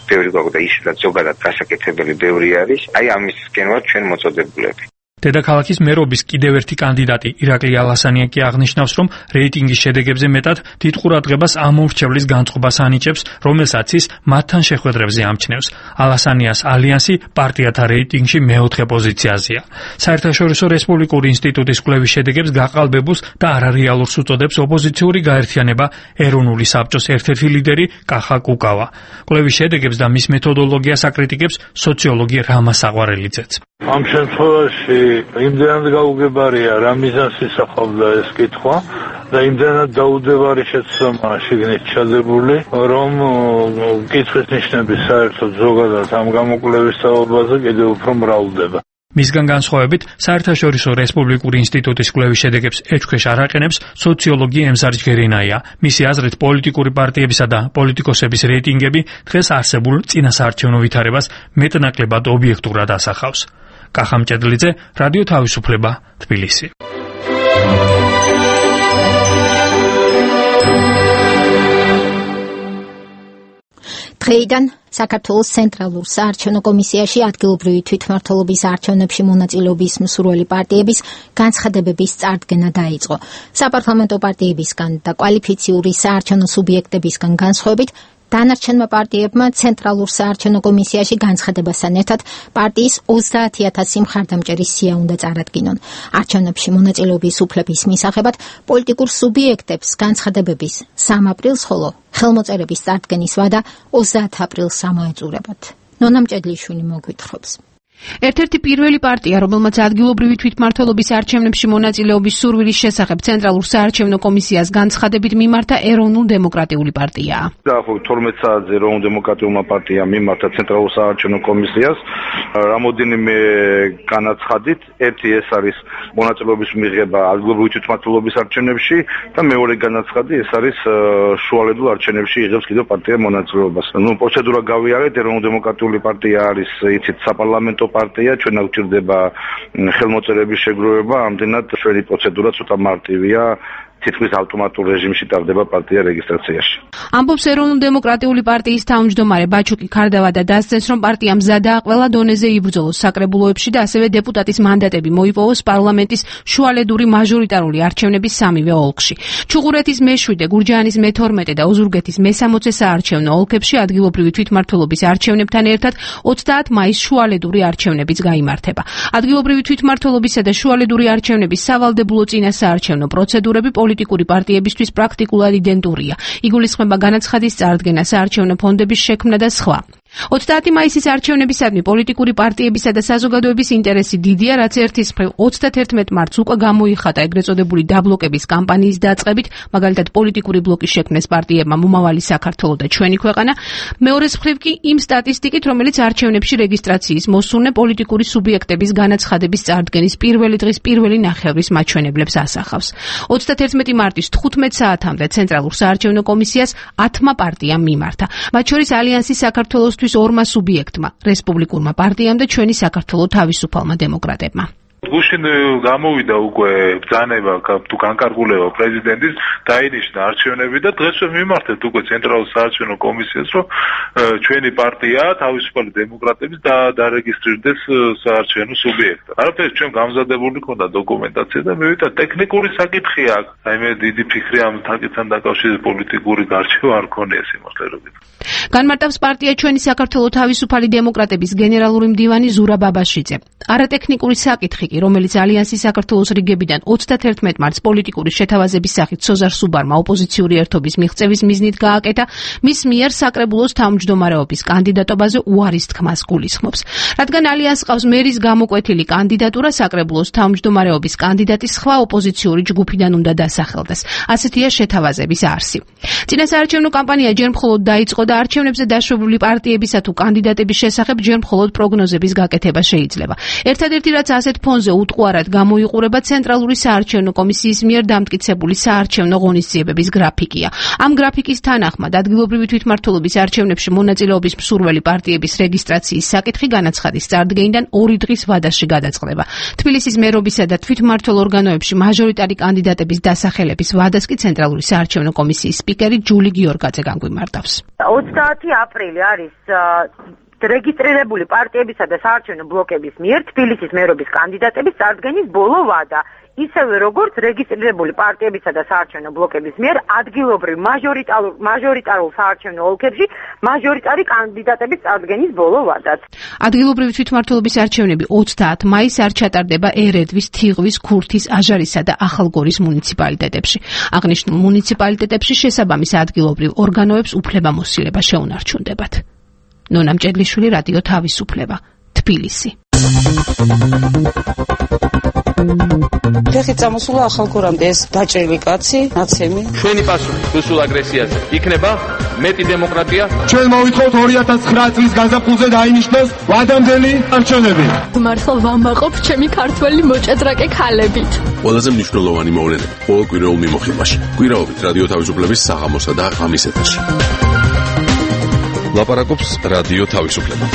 ბევრი გვაქვს და ისედაც ზოგადად დასაკეთებელი ბევრი არის. აი ამის გენოა ჩვენ მოწოდებულები. დედაქალაქის მერობის კიდევ ერთი კანდიდატი ირაკლი ალასანია კი აღნიშნავს, რომ რეიტინგის შედეგებზე მეტად დიდ ყურადღებას ამ მომრჩევლის განწყობას ანიჭებს, რომელსაც ის მათთან შეხვედრებზე ამჩნევს. ალასანიას ალიანსი პარტიათა რეიტინგში მეოთხე პოზიციაზეა. საერთაშორისო რესპუბლიკური ინსტიტუტის კვლევის შედეგებს გაყალბებულს და არარეალურს უწოდებს ოპოზიციური გაერთიანება ეროვნული საბჭოს ერთ-ერთი ლიდერი კახა კუკავა. კვლევის შედეგებს და მის მეთოდოლოგიას აკრიტიკებს სოციოლოგი რამა საყვარელიძეც. ამ შემთხვევაში იმდენად გაუგებარია რა მიზანს ისახავდა ეს კითხვა და იმდენად დაუდევარი შეცდომა შიგნით ჩადებული, რომ კითხვის ნიშნები საერთოდ ზოგადად ამ გამოკვლევის საუბარზე კიდევ უფრო მრავლდება. მისგან განსხვავებით, საერთაშორისო რესპუბლიკური ინსტიტუტის კვლევის შედეგებს ეჩქვეშ არ აყენებს სოციოლოგი ემზარ ჯგერინაია. მისი აზრით, პოლიტიკური პარტიებისა და პოლიტიკოსების რეიტინგები დღეს არსებულ წინასაარჩევნო ვითარებას მეტნაკლებად ობიექტურად ასახავს. კახა მჭედლიძე, რადიო თავისუფლება, თბილისი. დღეიდან საქართველოს ცენტრალურ საარჩევნო კომისიაში ადგილობრივი თვითმმართველობის არჩევნებში მონაწილეობის მსურველი პარტიების განცხადებების წარდგენა დაიწყო. საპარლამენტო პარტიებისგან და კვალიფიციური საარჩევნო სუბიექტებისგან განსხვავებით, დანარჩენმა პარტიებმა ცენტრალურ საარჩევნო კომისიაში განცხადებასთან ერთად პარტიის ოცდაათი ათასი მხარდამჭერის სია უნდა წარადგინონ. არჩევნებში მონაწილეობის უფლების მისაღებად პოლიტიკურ სუბიექტებს განცხადებების სამ აპრილს, ხოლო ხელმოწერების წარდგენის ვადა ოცდაათ აპრილს ამოეწურებათ. ნონა მჭედლიშვილი მოგვითხრობს. ერთ-ერთი პირველი პარტია, რომელმაც ადგილობრივი თვითმმართველობის არჩევნებში მონაწილეობის სურვილის შესახებ ცენტრალურ საარჩევნო კომისიას განცხადებით მიმართა ეროვნულ-დემოკრატიული პარტიაა. დაახლოებით თორმეტ საათზე ეროვნულ-დემოკრატიულმა პარტიამ მიმართა ცენტრალურ საარჩევნო კომისიას რამოდენიმე განაცხადით. ერთი ეს არის მონაწილეობის მიღება ადგილობრივი თვითმმართველობის არჩევნებში და მეორე განაცხადი ეს არის შუალედურ არჩევნებში იღებს კიდევ პარტია მონაწილეობას. ნუ პროცედურა გავიარეთ, ეროვნულ-დემოკრატიული პარტია არის იცით საპარლამენტო პარტია, ჩვენ აქ გვჭირდება ხელმოწერების შეგროვება, ამდენად ჩვენი პროცედურა ცოტა მარტივია, თითქმის ავტომატურ რეჟიმში ტარდება პარტია რეგისტრაციაში. ამბობს ეროვნულ-დემოკრატიული პარტიის თავმჯდომარე ბაჩუკი ქარდავა და დასცენს, რომ პარტია მზადაა ყველა დონეზე იბრძოლოს საკრებულოებში და ასევე დეპუტატის მანდატები მოიპოვოს პარლამენტის შუალედური მაჟორიტარული არჩევნების სამივე ოლქში. ჩუღურეთის მეშვიდე, გურჯაანის მეთორმეტე და ოზურგეთის მესამოცე საარჩევნო ოლქებში ადგილობრივი თვითმმართველობის არჩევნებთან ერთად ოცდაათ მაისს შუალედური არჩევნებიც გაიმართება. ადგილობრივი თვითმმართველობისა და შუალედური არჩევნების სავალდებულო წინასაარჩევნო პროცედურები პოლიტიკური პარტიებისთვის პრაქტიკულად იდენტურია. იგულისხმება განაცხადის წარდგენა, საარჩევნო ფონდების შექმნა და სხვა. ოცდაათი მაისის არჩევნებისადმი პოლიტიკური პარტიებისა და საზოგადოების ინტერესი დიდია, რაც ერთის მხრივ ოცდათერთმეტ მარტს უკვე გამოიხატა ეგრეთ წოდებული დაბლოკების კამპანიის დაწყებით, მაგალითად პოლიტიკური ბლოკის შექმნეს პარტიებმა მომავალი საქართველო და ჩვენი ქვეყანა, მეორეს მხრივ კი იმ სტატისტიკით, რომელიც არჩევნებში რეგისტრაციის მოსურნე პოლიტიკური სუბიექტების განაცხადების წარდგენის პირველი დღის პირველი ნახევრის მაჩვენებლებს ასახავს. ოცდათერთმეტი მარტის თხუთმეტ საათამდე ცენტრალურ საარჩევნო კომისიას ათმა პარტიამ მიმართა, მათ შორის ალიანსი საქართველოს ორმა სუბიექტმა, რესპუბლიკურმა პარტიამ და ჩვენი საქართველო თავისუფალმა დემოკრატებმა. გუშინ გამოვიდა უკვე ბრძანება თუ განკარგულება პრეზიდენტის დაინიშნა არჩევნები და დღესვე მიმართეთ უკვე ცენტრალურ საარჩევნო კომისიას, რომ ჩვენი პარტია თავისუფალი დემოკრატების და დარეგისტრირდეს საარჩევნო სუბიექტად. არაფერი ჩვენ გამზადებული ქონდა დოკუმენტაცია და მივიდა ტექნიკური საკითხია. აი მე დიდი ფიქრი ამ საკითხთან დაკავშირებით პოლიტიკური გარჩევა არ ქონია სიმართლე რომ გითხრათ. განმარტავს პარტია ჩვენი საქართველო თავისუფალი დემოკრატების გენერალური მდივანი ზურაბ ბაბაშიძე. არატექნიკური საკითხი კი, რომელიც ალიანსის საქართველოს რიგებიდან ოცდათერთმეტ მარტს პოლიტიკური შეთავაზების სახით სოზარ სუბარმა ოპოზიციური ერთობის მიღწევის მიზნით გააკეთა, მის მიერ საკრებულოს თავმჯდომარეობის კანდიდატობაზე უარის თქმას გულისხმობს. რადგან ალიანსს ყავს მერის გამოკვეთილი კანდიდატურა, საკრებულოს თავმჯდომარეობის კანდიდატი სხვა ოპოზიციური ჯგუფიდან უნდა დასახელდეს. ასეთია შეთავაზების არსი. წინა საარჩევნო კამპანია ჯერ მხოლოდ დაიწყო და არჩევნებზე დაშვებული პარტიებისა თუ კანდიდატების შესახებ ჯერ მხოლოდ პროგნოზების გაკეთება შეიძლება. ერთადერთი რაც ასეთ ფონზე უტყუარად გამოიყურება ცენტრალური საარჩევნო კომისიის მიერ დამტკიცებული საარჩევნო ღონისძიებების გრაფიკია. ამ გრაფიკის თანახმად ადგილობრივი თვითმმართველობის არჩევნებში მონაწილეობის მსურველი პარტიების რეგისტრაციის საკითხი განაცხადის წარდგენიდან ორი დღის ვადაში გადაწყდება. თბილისის მერობისა და თვითმმართველ ორგანოებში მაჟორიტარი კანდიდატების დასახელების ვადას კი ცენტრალური საარჩევნო კომისიის სპიკერი ჯული გიორგაძე განგვიმარტავს. ოცდაათი აპრილი არის რეგისტრირებული პარტიებისა და საარჩევნო ბლოკების მიერ თბილისის მერობის კანდიდატების წარდგენის ბოლო ვადა, ისევე როგორც რეგისტრირებული პარტიებისა და საარჩევნო ბლოკების მიერ ადგილობრივ მაჟორიტარულ მაჟორიტარულ საარჩევნო ოლქებში მაჟორიტარი კანდიდატების წარდგენის ბოლო ვადაც. ადგილობრივი თვითმმართველობის არჩევნები ოცდაათ მაისს არ ჩატარდება ერედვის, თიღვის, ქურთის, აჟარისა და ახალგორის მუნიციპალიტეტებში. აღნიშნულ მუნიციპალიტეტებში შესაბამის ადგილობრივ ორგანოებს უფლებამოსილება შეუნარჩუნდებათ. ნონა მჭედლიშვილი, რადიო თავისუფლება, თბილისი. ფეხით წამოსულა ახალგორამდე ეს დაჭრილი კაცი, ნაცემი. ჩვენი პასუხი რუსულ აგრესიაზე იქნება მეტი დემოკრატია. ჩვენ მოვითხოვთ ორი ათას ცხრა წლის გაზაფხულზე დაინიშნოს ვადამდელი არჩევნები. მართლა ვამაყობ ჩემი ქართველი მოჭადრაკე ქალებით. ყველაზე მნიშვნელოვანი მოვლენები ყოველ კვირაულ მიმოხილვაში. კვირაობით რადიო თავისუფლების საღამოსა და ღამის ეთერში. ლაპარაკობს რადიო თავისუფლება.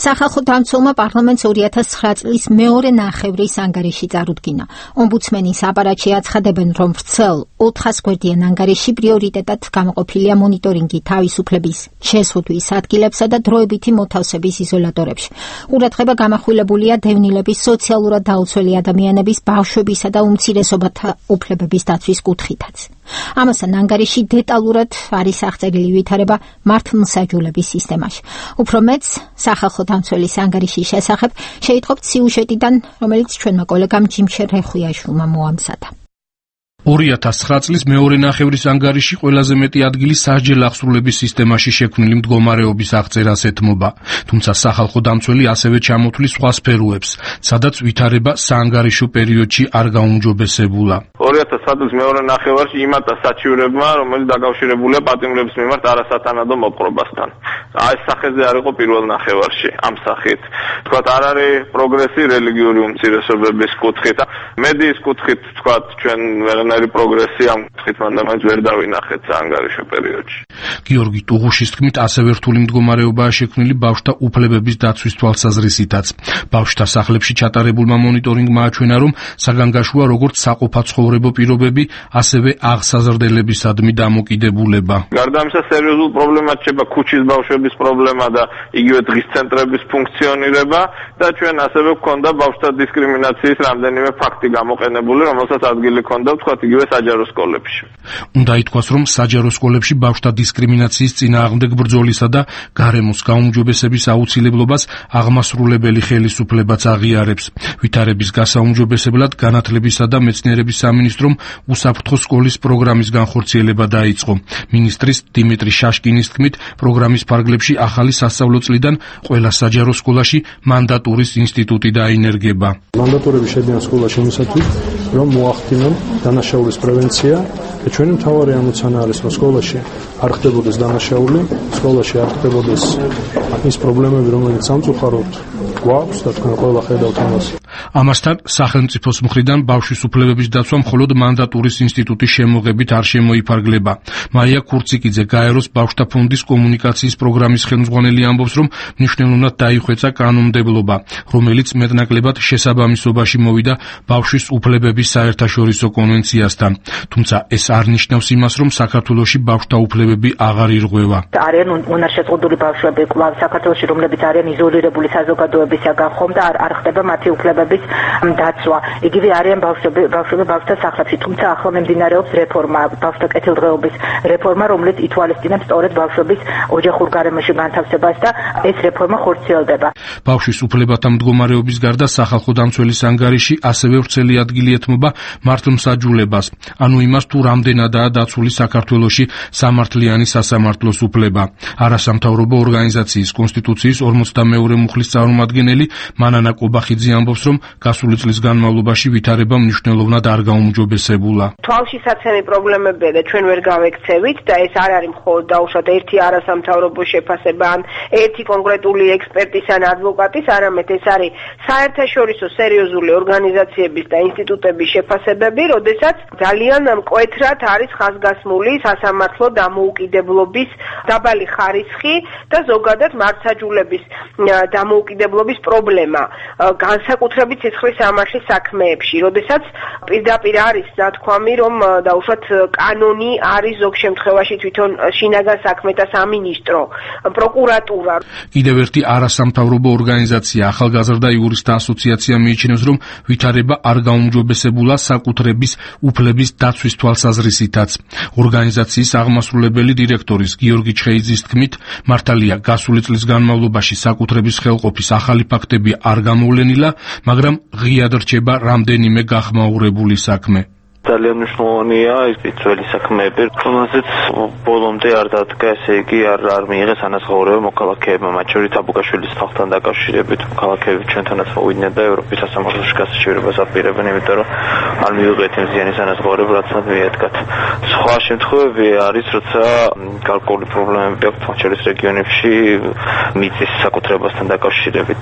სახალხო დამცველმა პარლამენტს ორი ათას ცხრა წლის მეორე ნახევრის ანგარიში წარუდგინა. ომბუდსმენის აპარატში აცხადებენ, რომ ვრცელ ოთხას გვერდიან ანგარიში პრიორიტეტად გამოყოფილია მონიტორინგი თავისუფლების შეზღუდვის ადგილებსა და დროებითი მოთავსების იზოლატორებში. ყურადღება გამახვილებულია დევნილების, სოციალურად დაუცველი ადამიანების, ბავშვებისა და უმცირესობათა უფლებების დაცვის კუთხითაც. ამასთან ანგარიში დეტალურად არის აღწერილი ვითარება მართლმსაჯულების სისტემაში. უფრო მეც სახალხო დამცველის ანგარიშის შესახებ შეიტყობთ სიუჟეტიდან, რომელიც ჩვენმა კოლეგამ ჯიმშერ რეხვიაშვილმა მოამზადა. ორი ათას ცხრა წლის მეორე ნახევრის ანგარიში ყველაზე მეტი ადგილი სასჯელ აღსრულების სისტემაში შექმნილი მდგომარეობის აღწერას ეთმობა, თუმცა სახალხო დამცველი ასევე ჩამოთვლის სხვა სფეროებს, სადაც ვითარება საანგარიშო პერიოდში არ გაუმჯობესებულა. ორი ათას ცხრა წლის მეორე ნახევარში იმატა საჩივრებმა, რომელიც დაკავშირებულია პატიმრების მიმართ არასათანადო მოპყრობასთან. აი სახეზე არ იყო პირველ ნახევარში ამ სახით. თქვათ არ არის პროგრესი რელიგიური უმცირესობების კუთხით, მედიის კუთხით თქვათ ჩვენ ვეღანარი პროგრესი ამ კუთხით მანდამაც ვერ დავინახეთ საანგარიშო პერიოდში. გიორგი ტუღუშის თქმით, ასევე რთული მდგომარეობაა შექმნილი ბავშვთა უფლებების დაცვის თვალსაზრისითაც. ბავშვთა სახლებში ჩატარებულმა მონიტორინგმა აჩვენა, რომ საგანგაშოა როგორც საყოფაცხოვრებო პირობები, ასევე აღსაზრდელებისადმი დამოკიდებულება. გარდა ამისა, სერიოზულ პრობლემად შეება ქუჩის ბავშვების განათლების პრობლემა და იგივე დღის ცენტრების ფუნქციონირება და ჩვენ ასევე გვქონდა ბავშვთა დისკრიმინაციის რამდენიმე ფაქტი გამოყენებული, რომელსაც ადგილი ჰქონდა ვთქვათ იგივე საჯარო სკოლებში. უნდა ითქვას, რომ საჯარო სკოლებში ბავშვთა დისკრიმინაციის წინააღმდეგ ბრძოლისა და გარემოს გაუმჯობესების აუცილებლობას აღმასრულებელი ხელისუფლებაც აღიარებს. ვითარების გასაუმჯობესებლად განათლებისა და მეცნიერების სამინისტრომ უსაფრთხო სკოლის პროგრამის განხორციელება დაიწყო. მინისტრის დიმიტრი შაშკინის თქმით, პროგრამის ფარგლებში ახალი სასწავლო წლიდან ყველა საჯარო სკოლაში მანდატურის ინსტიტუტი დაინერგება. მანდატურები შედიან სკოლაში იმისათვის, რომ მოახდინონ დანაშაულის პრევენცია და ჩვენი მთავარი ამოცანა არის, რომ სკოლაში არ ხდებოდეს დანაშაული, სკოლაში არ ხდებოდეს ის პრობლემები, რომელიც სამწუხაროდ გვაქვს და თქვენ ყველა ხედავთ ამას. ამასთან სახელმწიფოს მხრიდან ბავშვის უფლებების დაცვა მხოლოდ მანდატურის ინსტიტუტის შემოღებით არ შემოიფარგლება. მაია ქურციკიძე გაეროს ბავშვთა ფონდის კომუნიკაციის პროგრამის ხელმძღვანელი ამბობს, რომ მნიშვნელოვნად დაიხვეწა კანონმდებლობა, რომელიც მეტნაკლებად შესაბამისობაში მოვიდა ბავშვის უფლებების საერთაშორისო კონვენციასთან. თუმცა ეს არ ნიშნავს იმას, რომ საქართველოში ბავშვთა უფლებები აღარ ირღვევა. არიან უნარშეზღუდული ბავშვები კვლავ საქართველოში, რომლებიც არიან იზოლირებული საზოგადოებისაგან ხომ და არ ხდება მათი უფლებების დაცვა. იგივე არიან ბავშვები, ბავშვები ბავშვთა სახლებში, თუმცა ახლა მიმდინარეობს რეფორმა, ბავშვთა კეთილდღეობის რეფორმა, რომელიც ითვალისწინებს სწორედ ბავშვების ოჯახურ გარემოში განთავსებას და ეს რეფორმა ხორციელდება. ბავშვის უფლებათა მდგომარეობის გარდა სახალხო დამცველის ანგარიში ასევე ვრცელი ადგილი ეთმობა მართლმსაჯულებას, ანუ იმას, თუ რამდენადაა დაცული საქართველოში სამართლიანი სასამართლოს უფლება. არასამთავრობო ორგანიზაციის კონსტიტუციის ორმოცდამეორე მუხლის წარმომადგენელი მანანა კობახიძე ამბობს, რომ გასული წლის განმავლობაში ვითარება მნიშვნელოვნად არ გაუმჯობესებულა. თვალშისაცემი პრობლემებია და ჩვენ ვერ გავექცევით და ეს არ არის მხოლოდ დაუშვათ ერთი არასამთავრობო შეფასება ან ერთი კონკრეტული ექსპერტის ან ადვოკატის, არამედ ეს არის საერთაშორისო სერიოზული ორგანიზაციების და ინსტიტუტების შეფასებები, როდესაც ძალიან მკვეთრად არის ხაზგასმული სასამართლო დამოუკიდებლობის დაბალი ხარისხი და ზოგადად მართლმსაჯულების დამოუკიდებლობის პრობლემა, განსაკუთრებით ცეცხლის სამართლის საქმეებში, როდესაც პირდაპირ არის ნათქვამი, რომ დაუშვათ კანონი არის ზოგ შემთხვევაში თვითონ შინაგან საქმეთა სამინისტრო, პროკურატურა. კიდევ ერთი არასამთავრობო ორგანიზაცია ახალგაზრდა იურისტთა ასოციაცია მიიჩნევს, რომ ვითარება არ გაუმჯობესებულა საკუთრების უფლების დაცვის თვალსაზრისითაც. ორგანიზაციის აღმასრულებელი დირექტორის გიორგი ჩხეიძის თქმით, მართალია გასული წლის განმავლობაში საკუთრების ხელყოფის ახალი ფაქტები არ გამოვლენილა, მაგრამ ღიად რჩება რამდენიმე გახმაურებული საქმე. ძალიან მნიშვნელოვანია ის ძველი საქმეები, რომელზეც ბოლომდე არ დადგა, ესე იგი არ არ მიიღეს ანაზღაურება მოქალაქეებმა, მათ შორის აბუკაშვილის თვალთან დაკავშირებით. მოქალაქეები ჩვენთანაც მოვიდნენ და ევროპის სასამართლოში გასაჩივრებას აპირებენ, იმიტომ რომ არ მიიღეთ იმ ზიანის ანაზღაურება, რაც მათ მიედგათ. სხვა შემთხვევები არის, როცა გარკვეული პრობლემები აქვს, მათ შორის რეგიონებში მიწის საკუთრებასთან დაკავშირებით,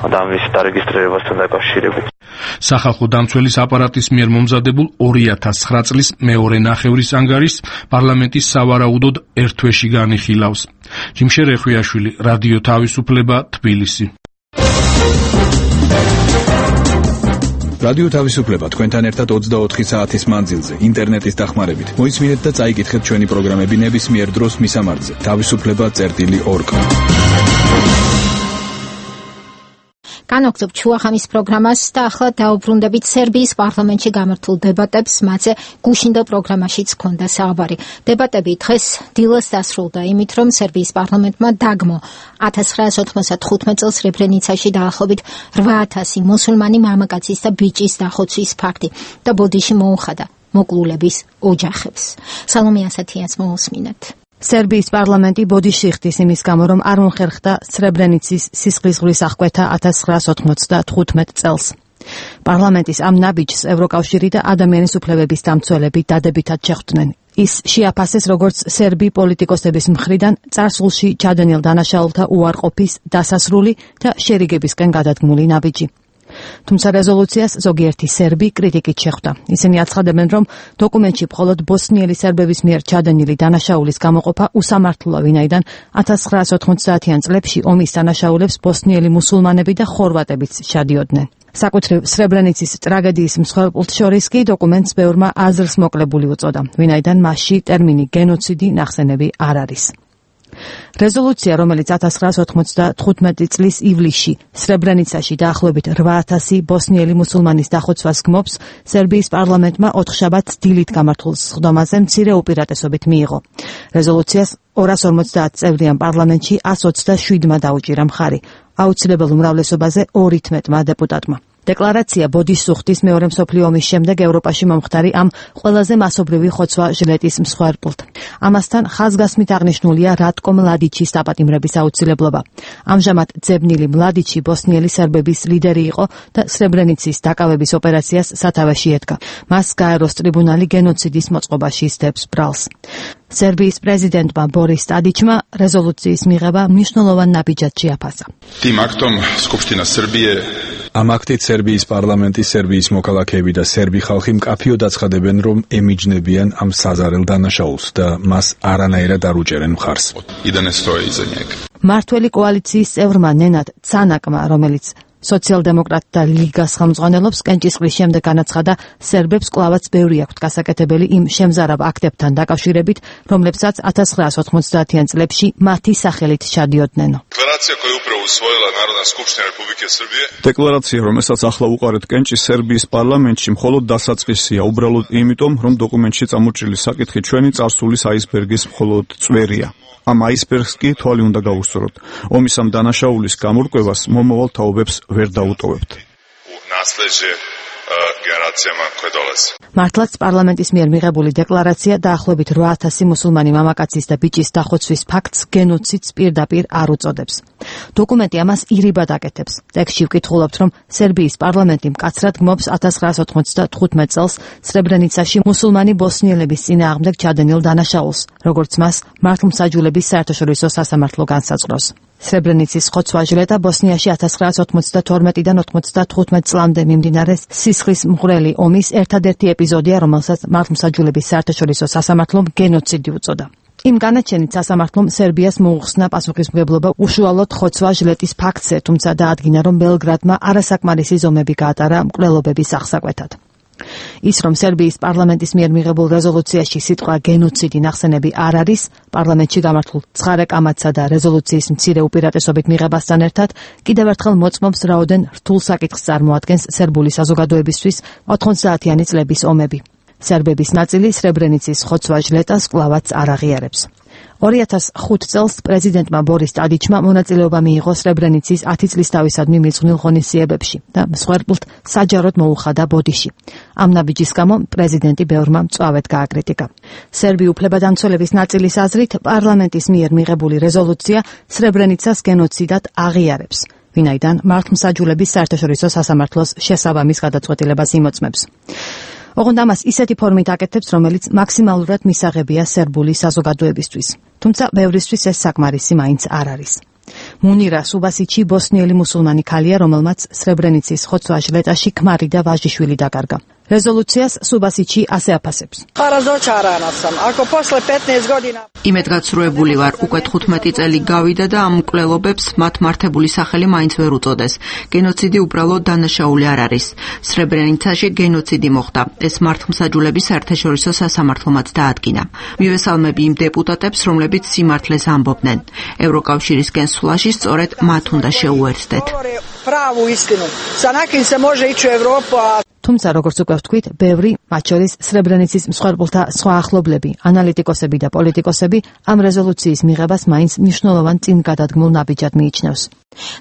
ადამიანის დარეგისტრირებასთან დაკავშირებით. სახალხო დამცველის აპარატის მიერ მომზადებულ ორი ათას ცხრა წლის მეორე ნახევრის ანგარიშს პარლამენტის სავარაუდოდ ერთ თვეში განიხილავს. ჯიმშე რეხვიაშვილი, რადიო თავისუფლება, თბილისი. რადიო თავისუფლება თქვენთან ერთად ოცდაოთხი საათის მანძილზე ინტერნეტის დახმარებით. მოისმინეთ და წაიკითხეთ ჩვენი პროგრამები ნებისმიერ დროს მისამართზე თავისუფლება წერტილი ორგ. განაგრძობ ჩუახამის პროგრამას და ახლა დაუბრუნდებით სერბიის პარლამენტში გამართულ დებატებს, მათზე გუშინდელ პროგრამაშიც ჰქონდა საუბარი. დებატები დღეს დილას დასრულდა იმით, რომ სერბიის პარლამენტმა დაგმო ათას ცხრაასი ოთხმოცდათხუთმეტ წელს სრებრენიცაში დაახლოებით რვა ათასი მუსულმანი მამაკაცის და ბიჭის დახოცვის ფაქტი და ბოდიში მოუხადა მოკლულების ოჯახებს. სალომე ასათიანს მოусმინეთ. სერბიის პარლამენტი ბოდიში ხდის იმის გამო, რომ არ მომხერხდა სრებრენიცის სისხლისღვრის აღკვეთა ათას ცხრაასი ოთხმოცდათხუთმეტ წელს. პარლამენტის ამ ნაბიჯს ევროკავშირი და ადამიანის უფლებების დამცველები დადებითად შეხვდნენ. ის შეაფასეს როგორც სერბი პოლიტიკოსების მხრიდან წარსულში ჩადენილ დანაშაულთა უარყოფის დასასრული და შერიგებისკენ გადადგმული ნაბიჯი. თუმცა რეზოლუციას ზოგიერთი სერბი კრიტიკით შეხვდა. ისინი აცხადებენ, რომ დოკუმენტში მხოლოდ ბოსნიელი სერბების მიერ ჩადენილი დანაშაულის გამოყოფა უსამართლოა, ვინაიდან ათას ცხრაასი ოცდაათიან წლებში ომის დანაშაულებს ბოსნიელი მუსულმანები და ხორვატებიც ჩადიოდნენ. საკუთრივ სრებრენიცის ტრაგედიის მსხვერპლთ შორის კი დოკუმენტს ბევრმა აზრს მოკლებული უწოდა, ვინაიდან მასში ტერმინი გენოციდი ნახსენები არ არის. რეზოლუცია, რომელიც ათას ცხრაასი ოთხმოცდათხუთმეტი წლის ივლისში სრებრენიცაში დაახლოებით რვა ათასი ბოსნიელი მუსულმანის დახოცვას გმობს, სერბიის პარლამენტმა ოთხშაბათს დილით გამართულ სხდომაზე მცირე უპირატესობით მიიღო. რეზოლუციას ორას ორმოცდაათ წევრიან პარლამენტში ას ოცდაშვიდმა დაუჭირა მხარი, აუცილებელ უმრავლესობაზე ორ-ათმეტმა დეპუტატმა. დეკლარაცია ბოდის სუხტის მეორე მსოფლიო ომის შემდეგ ევროპაში მომხდარი ამ ყველაზე მასობრივი ხოცვა-ჟლეტის მსხვერპლთ. ამასთან ხაზგასმით აღნიშნულია რატკო მლადიჩის დაპატიმრების აუცილებლობა. ამჟამად ძებნილი მლადიჩი ბოსნიელი სერბების ლიდერი იყო და სრებრენიცის დაკავების ოპერაციას სათავეში ედგა. მას გაეროს ტრიბუნალი გენოციდის მოწყობაში სდებს ბრალს. სერბიის პრეზიდენტმა ბორის ტადიჩმა რეზოლუციის მიღება მნიშვნელოვან ნაბიჯად შეაფასა. Tim aktom Skupština Srbije ამ აქტით სერბიის პარლამენტი, სერბიის მოქალაქეები და სერბი ხალხი მკაფიოდ აცხადებენ, რომ ემიჯნებიან ამ საზარელ დანაშაულს და მას არანაირად არ უჭერენ მხარს. მართველი კოალიციის წევრმა ნენად ცანაკმა, რომელიც სოციალ-დემოკრატთა ლიგას ხელმძღვანელობს, კენჭისყრის შემდეგ განაცხადა, სერბებს კვლავაც ბევრი აქვთ გასაკეთებელი იმ შემზარავ აქტებთან დაკავშირებით, რომლებსაც ათას ცხრაასი ოთხმოცდაათიან წლებში მათი სახელით ჩადიოდნენ. დეკლარაცია, რომელსაც ახლა უყარეთ კენჭის სერბიის პარლამენტში, მხოლოდ დასაწყისია, უბრალოდ იმიტომ, რომ დოკუმენტში წამოჭრილი საკითხი ჩვენი წარსულის აისბერგის მხოლოდ წვერია. ამ აისბერგს კი თვალი უნდა გავუსწროთ. ომის ამ დანაშაულის გამორკვევას მომავალ თაობებს ვერ დაუტოვებთ. მართლაც პარლამენტის მიერ მიღებული დეკლარაცია დაახლოებით რვა ათასი მუსულმანი მამაკაცის და ბიჭის დახოცვის ფაქტს გენოციდს პირდაპირ არ უწოდებს. დოკუმენტი ამას ირიბად აკეთებს. ტექსტში ვკითხულობთ, რომ სერბიის პარლამენტი მკაცრად გმობს ათას ცხრაასი ოთხმოცდათხუთმეტ წელს სრებრენიცაში მუსულმანი ბოსნიელების წინააღმდეგ ჩადენილ დანაშაულს, როგორც მას მართლმსაჯულების საერთაშორისო სასამართლო განსაზღვრავს. სრებრენიცის ხოცვა-ჟლეტა ბოსნიაში ათას ცხრაასი ოცდათორმეტიდან ოცდათხუთმეტ წლამდე მიმდინარე სისხლის მღვრელი ომის ერთადერთი ეპიზოდია, რომელსაც მართლმსაჯულების საერთაშორისო სასამართლომ გენოციდი უწოდა. იმ განაჩენით სასამართლომ სერბიას მოუხსნა პასუხისმგებლობა უშუალოდ ხოცვა-ჟლეტის ფაქტზე, თუმცა დაადგინა, რომ ბელგრადმა არასაკმარისი ზომები გაატარა მკვლელობების აღსაკვეთად. ის, რომ სერბიის პარლამენტის მიერ მიღებულ რეზოლუციაში სიტყვა გენოციდი ნახსენები არ არის, პარლამენტში გამართულ ცხარე კამათსა და რეზოლუციის მცირე უპირატესობით მიღებასთან ერთად, კიდევ ერთხელ მოწმობს, რაოდენ რთულ საკითხს წარმოადგენს სერბული საზოგადოებისთვის ოთხმოცდაათიანი წლების ომები. სერბების ნაწილი სრებრენიცის ხოცვა-ჟლეტას კვლავაც არ აღიარებს. ორი ათას ხუთ წელს პრეზიდენტმა ბორის ტადიჩმა მონაწილეობა მიიღო სრებრენიცის ათი წლის თავისადმი მიძღვნილ ღონისძიებებში და მსხვერპლთ საჯაროდ მოუხადა ბოდიში. ამ ნაბიჯის გამო პრეზიდენტი ბევრმა მწვავედ გააკრიტიკა. სერბი უფლებადამცველების ნაწილის აზრით, პარლამენტის მიერ მიღებული რეზოლუცია სრებრენიცას გენოციდად აღიარებს, ვინაიდან მართლმსაჯულების საერთაშორისო სასამართლოს შესაბამის გადაწყვეტილებას იმოწმებს. ოღონდ ამას ისეთი ფორმით აკეთებს, რომელიც მაქსიმალურად მისაღებია სერბული საზოგადოებისთვის. თუმცა ბევრისთვის ეს საკმარისი მაინც არ არის. მუნირა სუბასიჩი ბოსნიელი მუსულმანი ქალია, რომელმაც სრებრენიცის ხოცვა-ჟლეტაში ქმარი და ვაჟიშვილი დაკარგა. რეზოლუციას სუბასიჩი ასე აფასებს. იმედგაცრუებული ვარ, უკვე თხუთმეტი წელი გავიდა და ამ მკვლელობებს მათ მართებული სახელი მაინც ვერ უწოდეს. გენოციდი უბრალოდ დანაშაული არ არის. სრებრენიცაში გენოციდი მოხდა. ეს მართლმსაჯულების საერთაშორისო სასამართლომაც დაადგინა. მივესალმები იმ დეპუტატებს, რომლებიც სიმართლეს ამბობდნენ. ევროკავშირისკენ სვლაში სწორედ მათ უნდა შეუერთდეთ. თუმცა, როგორც უკვე ვთქვით, ბევრი, მათ შორის სრებრენიცის მსხვერპლთა სხვა ახლობლები, ანალიტიკოსები და პოლიტიკოსები ამ რეზოლუციის მიღებას მაინც მნიშვნელოვან წინგადადგმულ ნაბიჯად მიიჩნევს.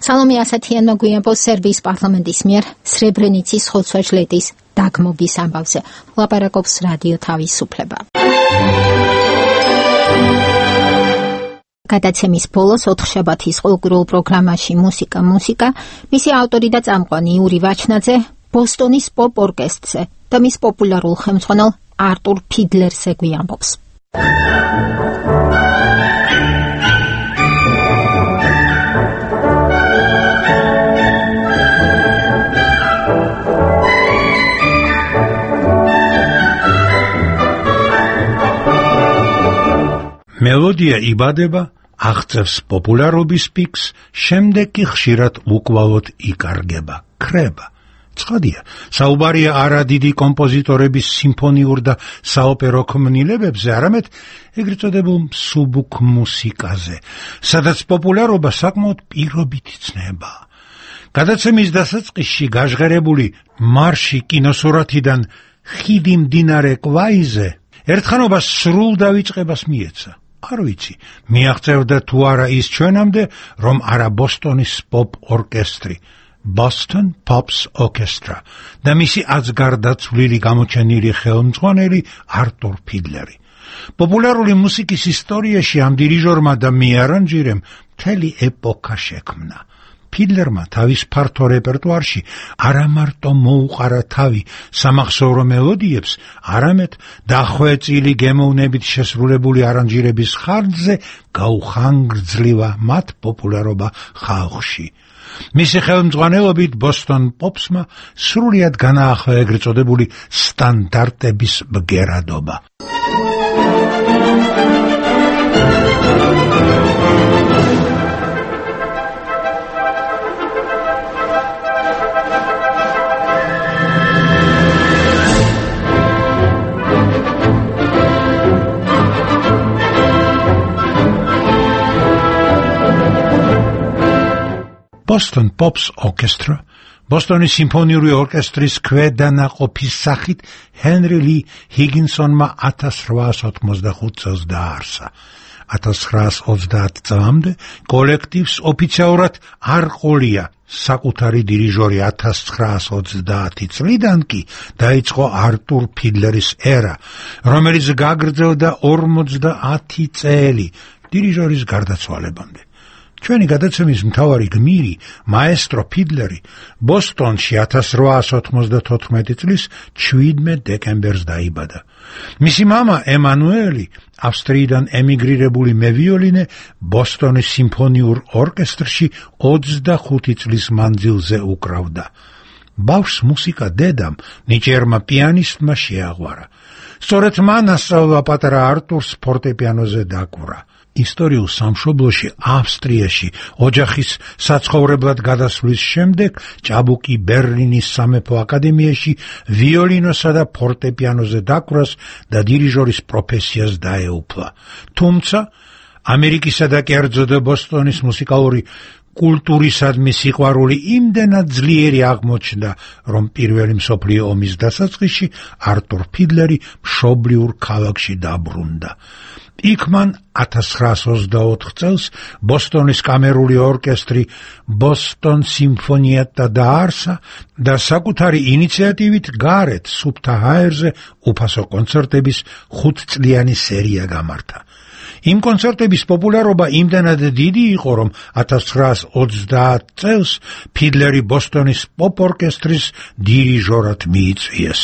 სალომე ასათიანმა გვიანბოს სერბიის პარლამენტის მიერ სრებრენიცის ხოცვა-ჟლეტის დაგმობის ამბავზე. ლაპარაკობს რადიო თავისუფლება. გადაცემის ბოლოს ოთხშაბათის ყოველკვირეულ პროგრამაში მუსიკა მუსიკა მისი ავტორი და წამყვანი იური ვაჩნაძე ბოსტონის პოპ ორკესტრზე და მის პოპულარულ ხელმძღვანელ არტურ ფიდლერზე გვიამბობს. მელოდია იბადება, აღწევს პოპულარობის პიკს, შემდეგ კი ხშირად უკვალოდ იკარგება, ქრება. ცხადია, საუბარია არა დიდი კომპოზიტორების სიმფონიურ და საოპერო ქმნილებებზე, არამედ ეგრეთ წოდებულ მსუბუქ მუსიკაზე, სადაც პოპულარობა საკმაოდ პირობით იცნება. გადაცემის დასაწყისში გაჟღერებული მარში კინოსურათიდან ხიდი მდინარე კვაიზე ერთხანობას სრულ დავიწყებას მიეცა. არ ვიცი, მიაღწევდა თუ არა ის ჩვენამდე, რომ არა ბოსტონის პოპ ორკესტრი, Boston Pops Orchestra და მისი აცგარდაცვლილი გამოჩენილი ხელმძღვანელი არტურ ფიდლერი. პოპულარული მუსიკის ისტორიაში ამ დირიჟორმა და მიარანჟირემ მთელი ეპოქა შექმნა. ფიდლერმა თავის ფართო რეპერტუარში არა მარტო მოუყარა თავი სამახსოვრო მელოდიებს, არამედ დახვეწილი გემოვნებით შესრულებული არანჟირების ხარჯზე გაუხანგრძლივა მათ პოპულარობა ხალხში. მისი ხელმძღვანელობით ბოსტონ პოპსმა სრულიად განაახლა ეგრეთ წოდებული სტანდარტების ბგერადობა. Boston Pops Orchestra, ბოსტონის სიმფონიური ორკესტრის ქვედანაყოფის სახით ჰენრი ლი ჰიგინსონმა ათას რვაას ოთხმოცდახუთ წელს დააარსა. ათას ცხრაას ოცდაათ წლამდე კოლექტივს ოფიციალურად არ ყოლია საკუთარი დირიჟორი. ათას ცხრაას ოცდაათი წლიდან კი დაიწყო არტურ ფიდლერის ერა, რომელიც გაგრძელდა ორმოცდაათი წელი დირიჟორის გარდაცვალებამდე. ჩვენი გადაცემის მთავარი გმირი, მაესტრო ფიდლერი, ბოსტონში ათას რვაას ოთხმოცდათოთხმეტი წლის შვიდმეტ დეკემბერს დაიბადა. მისი მამა ემანუელი, ავსტრიიდან ემიგრირებული მევიოლინე, ბოსტონის სიმფონიურ ორკესტრში ოცდახუთი წლის მანძილზე უკრავდა. ბავშვს მუსიკა დედამ, ნიჭიერმა პიანისტმა შეაღვარა. სწორედ მან ასწავლა პატარა არტურს ფორტეპიანოზე დაკვრა. ისტორიულ სამშობლოში, ავსტრიაში, ოჯახის საცხოვრებლად გადასვლის შემდეგ ჭაბუკი ბერლინის სამეფო აკადემიაში ვიოლინოსა და ფორტეპიანოზე დაკვრას და დირიჟორის პროფესიას დაეუფლა. თუმცა ამერიკისა და კერძოდ ბოსტონის მუსიკალური კულტურისადმი სიყვარული იმდენად ძლიერი აღმოჩნდა, რომ პირველი მსოფლიო ომის დასაწყისში არტურ ფიდლერი მშობლიურ ქალაქში დაბრუნდა. იქ მან ათას ცხრაას ოცდაოთხ წელს ბოსტონის კამერული ორკესტრი ბოსტონ სიმფონიეტა დააარსა და საკუთარი ინიციატივით გარეთ სუფთა ჰაერზე უფასო კონცერტების ხუთწლიანი სერია გამართა. იმ კონცერტების პოპულარობა იმდენად დიდი იყო, რომ ათას ცხრაას ოცდაათ წელს ფიდლერი ბოსტონის პოპ ორკესტრის დირიჟორად მიიწვიეს.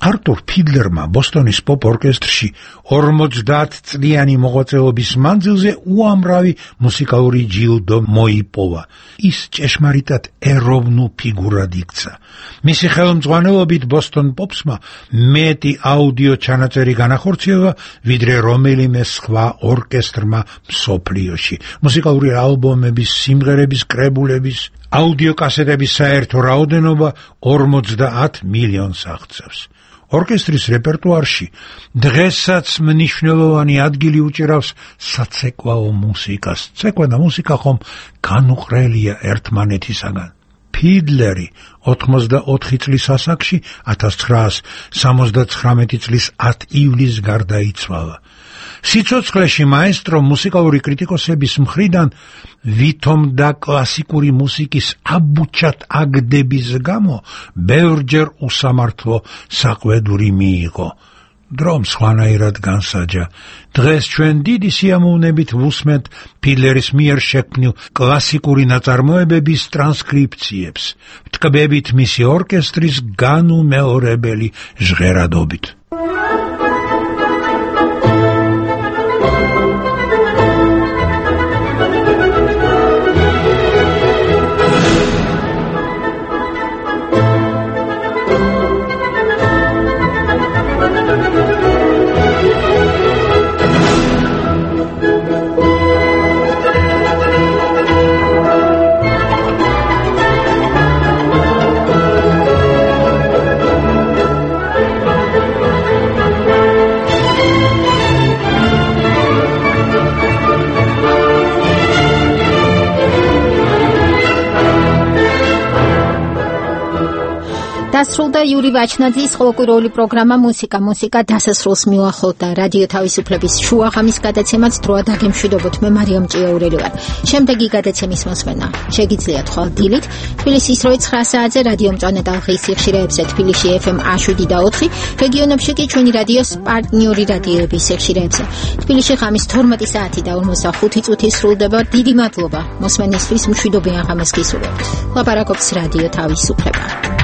არტურ ფიდლერმა ბოსტონის პოპ ორკესტრში ორმოცდაათ წლიანი მოღვაწეობის მანძილზე უამრავი მუსიკალური ჯილდო მოიპოვა. ის ჭეშმარიტად ეროვნულ ფიგურად იქცა. მისი ხელმძღვანელობით ბოსტონ პოპსმა მეტი აუდიო ჩანაწერი განახორციელა, ვიდრე რომელიმე სხვა ორკესტრმა მსოფლიოში. მუსიკალური ალბომების, სიმღერების, კრებულების, აუდიო კასეტების საერთო რაოდენობა ორმოცდაათ მილიონს აღწევს. ორკესტრის რეპერტუარში დღესაც მნიშვნელოვანი ადგილი უჭირავს საცეკვაო მუსიკას. ცეკვა და მუსიკა ხომ განუყრელია ერთმანეთისაგან. ფიდლერი ოთხმოცდაოთხი წლის ასაკში ათას ცხრაას სამოცდაცხრამეტი წლის ათ ივლისს გარდაიცვალა. სიცოცხლეში მაესტრო მუსიკალური კრიტიკოსების მხრიდან ვითომ და კლასიკური მუსიკის აბუჩად აგდების გამო ბევრჯერ უსამართლო საყვედური მიიღო. დრომ სხვანაირად განსაჯა. დღეს ჩვენ დიდი სიამოვნებით ვუსმენთ ფიდლერის მიერ შექმნილ კლასიკური ნაწარმოებების ტრანსკრიფციებს, ვთქმებით მისი ორკესტრის განუმეორებელი ჟღერადობით. დასრულდა იური ვაჩნაძის ყოველკვირეული პროგრამა მუსიკა მუსიკა დასასრულს მიუახლოვდა. რადიო თავისუფლების შუაღამის გადაცემაც დროა დაგემშვიდობოთ. მე მარიამ ჭიაურელი ვარ. შემდეგი გადაცემის მოსმენა შეგიძლიათ ხვალ დილით თბილისის როი ცხრა საათზე რადიო მწვანე ტალღის სიხშირეებზე თბილისში ეფ ემ შვიდ და ოთხი, რეგიონებში კი ჩვენი რადიოს პარტნიორი რადიოების სიხშირეებზე. თბილისში ღამის თორმეტი საათი და ორმოცდახუთი წუთი სრულდება. დიდი მადლობა მოსმენისთვის, მშვიდობიან ღამეს გისურვებთ. ლაპარაკობს რადიო თავისუფლება.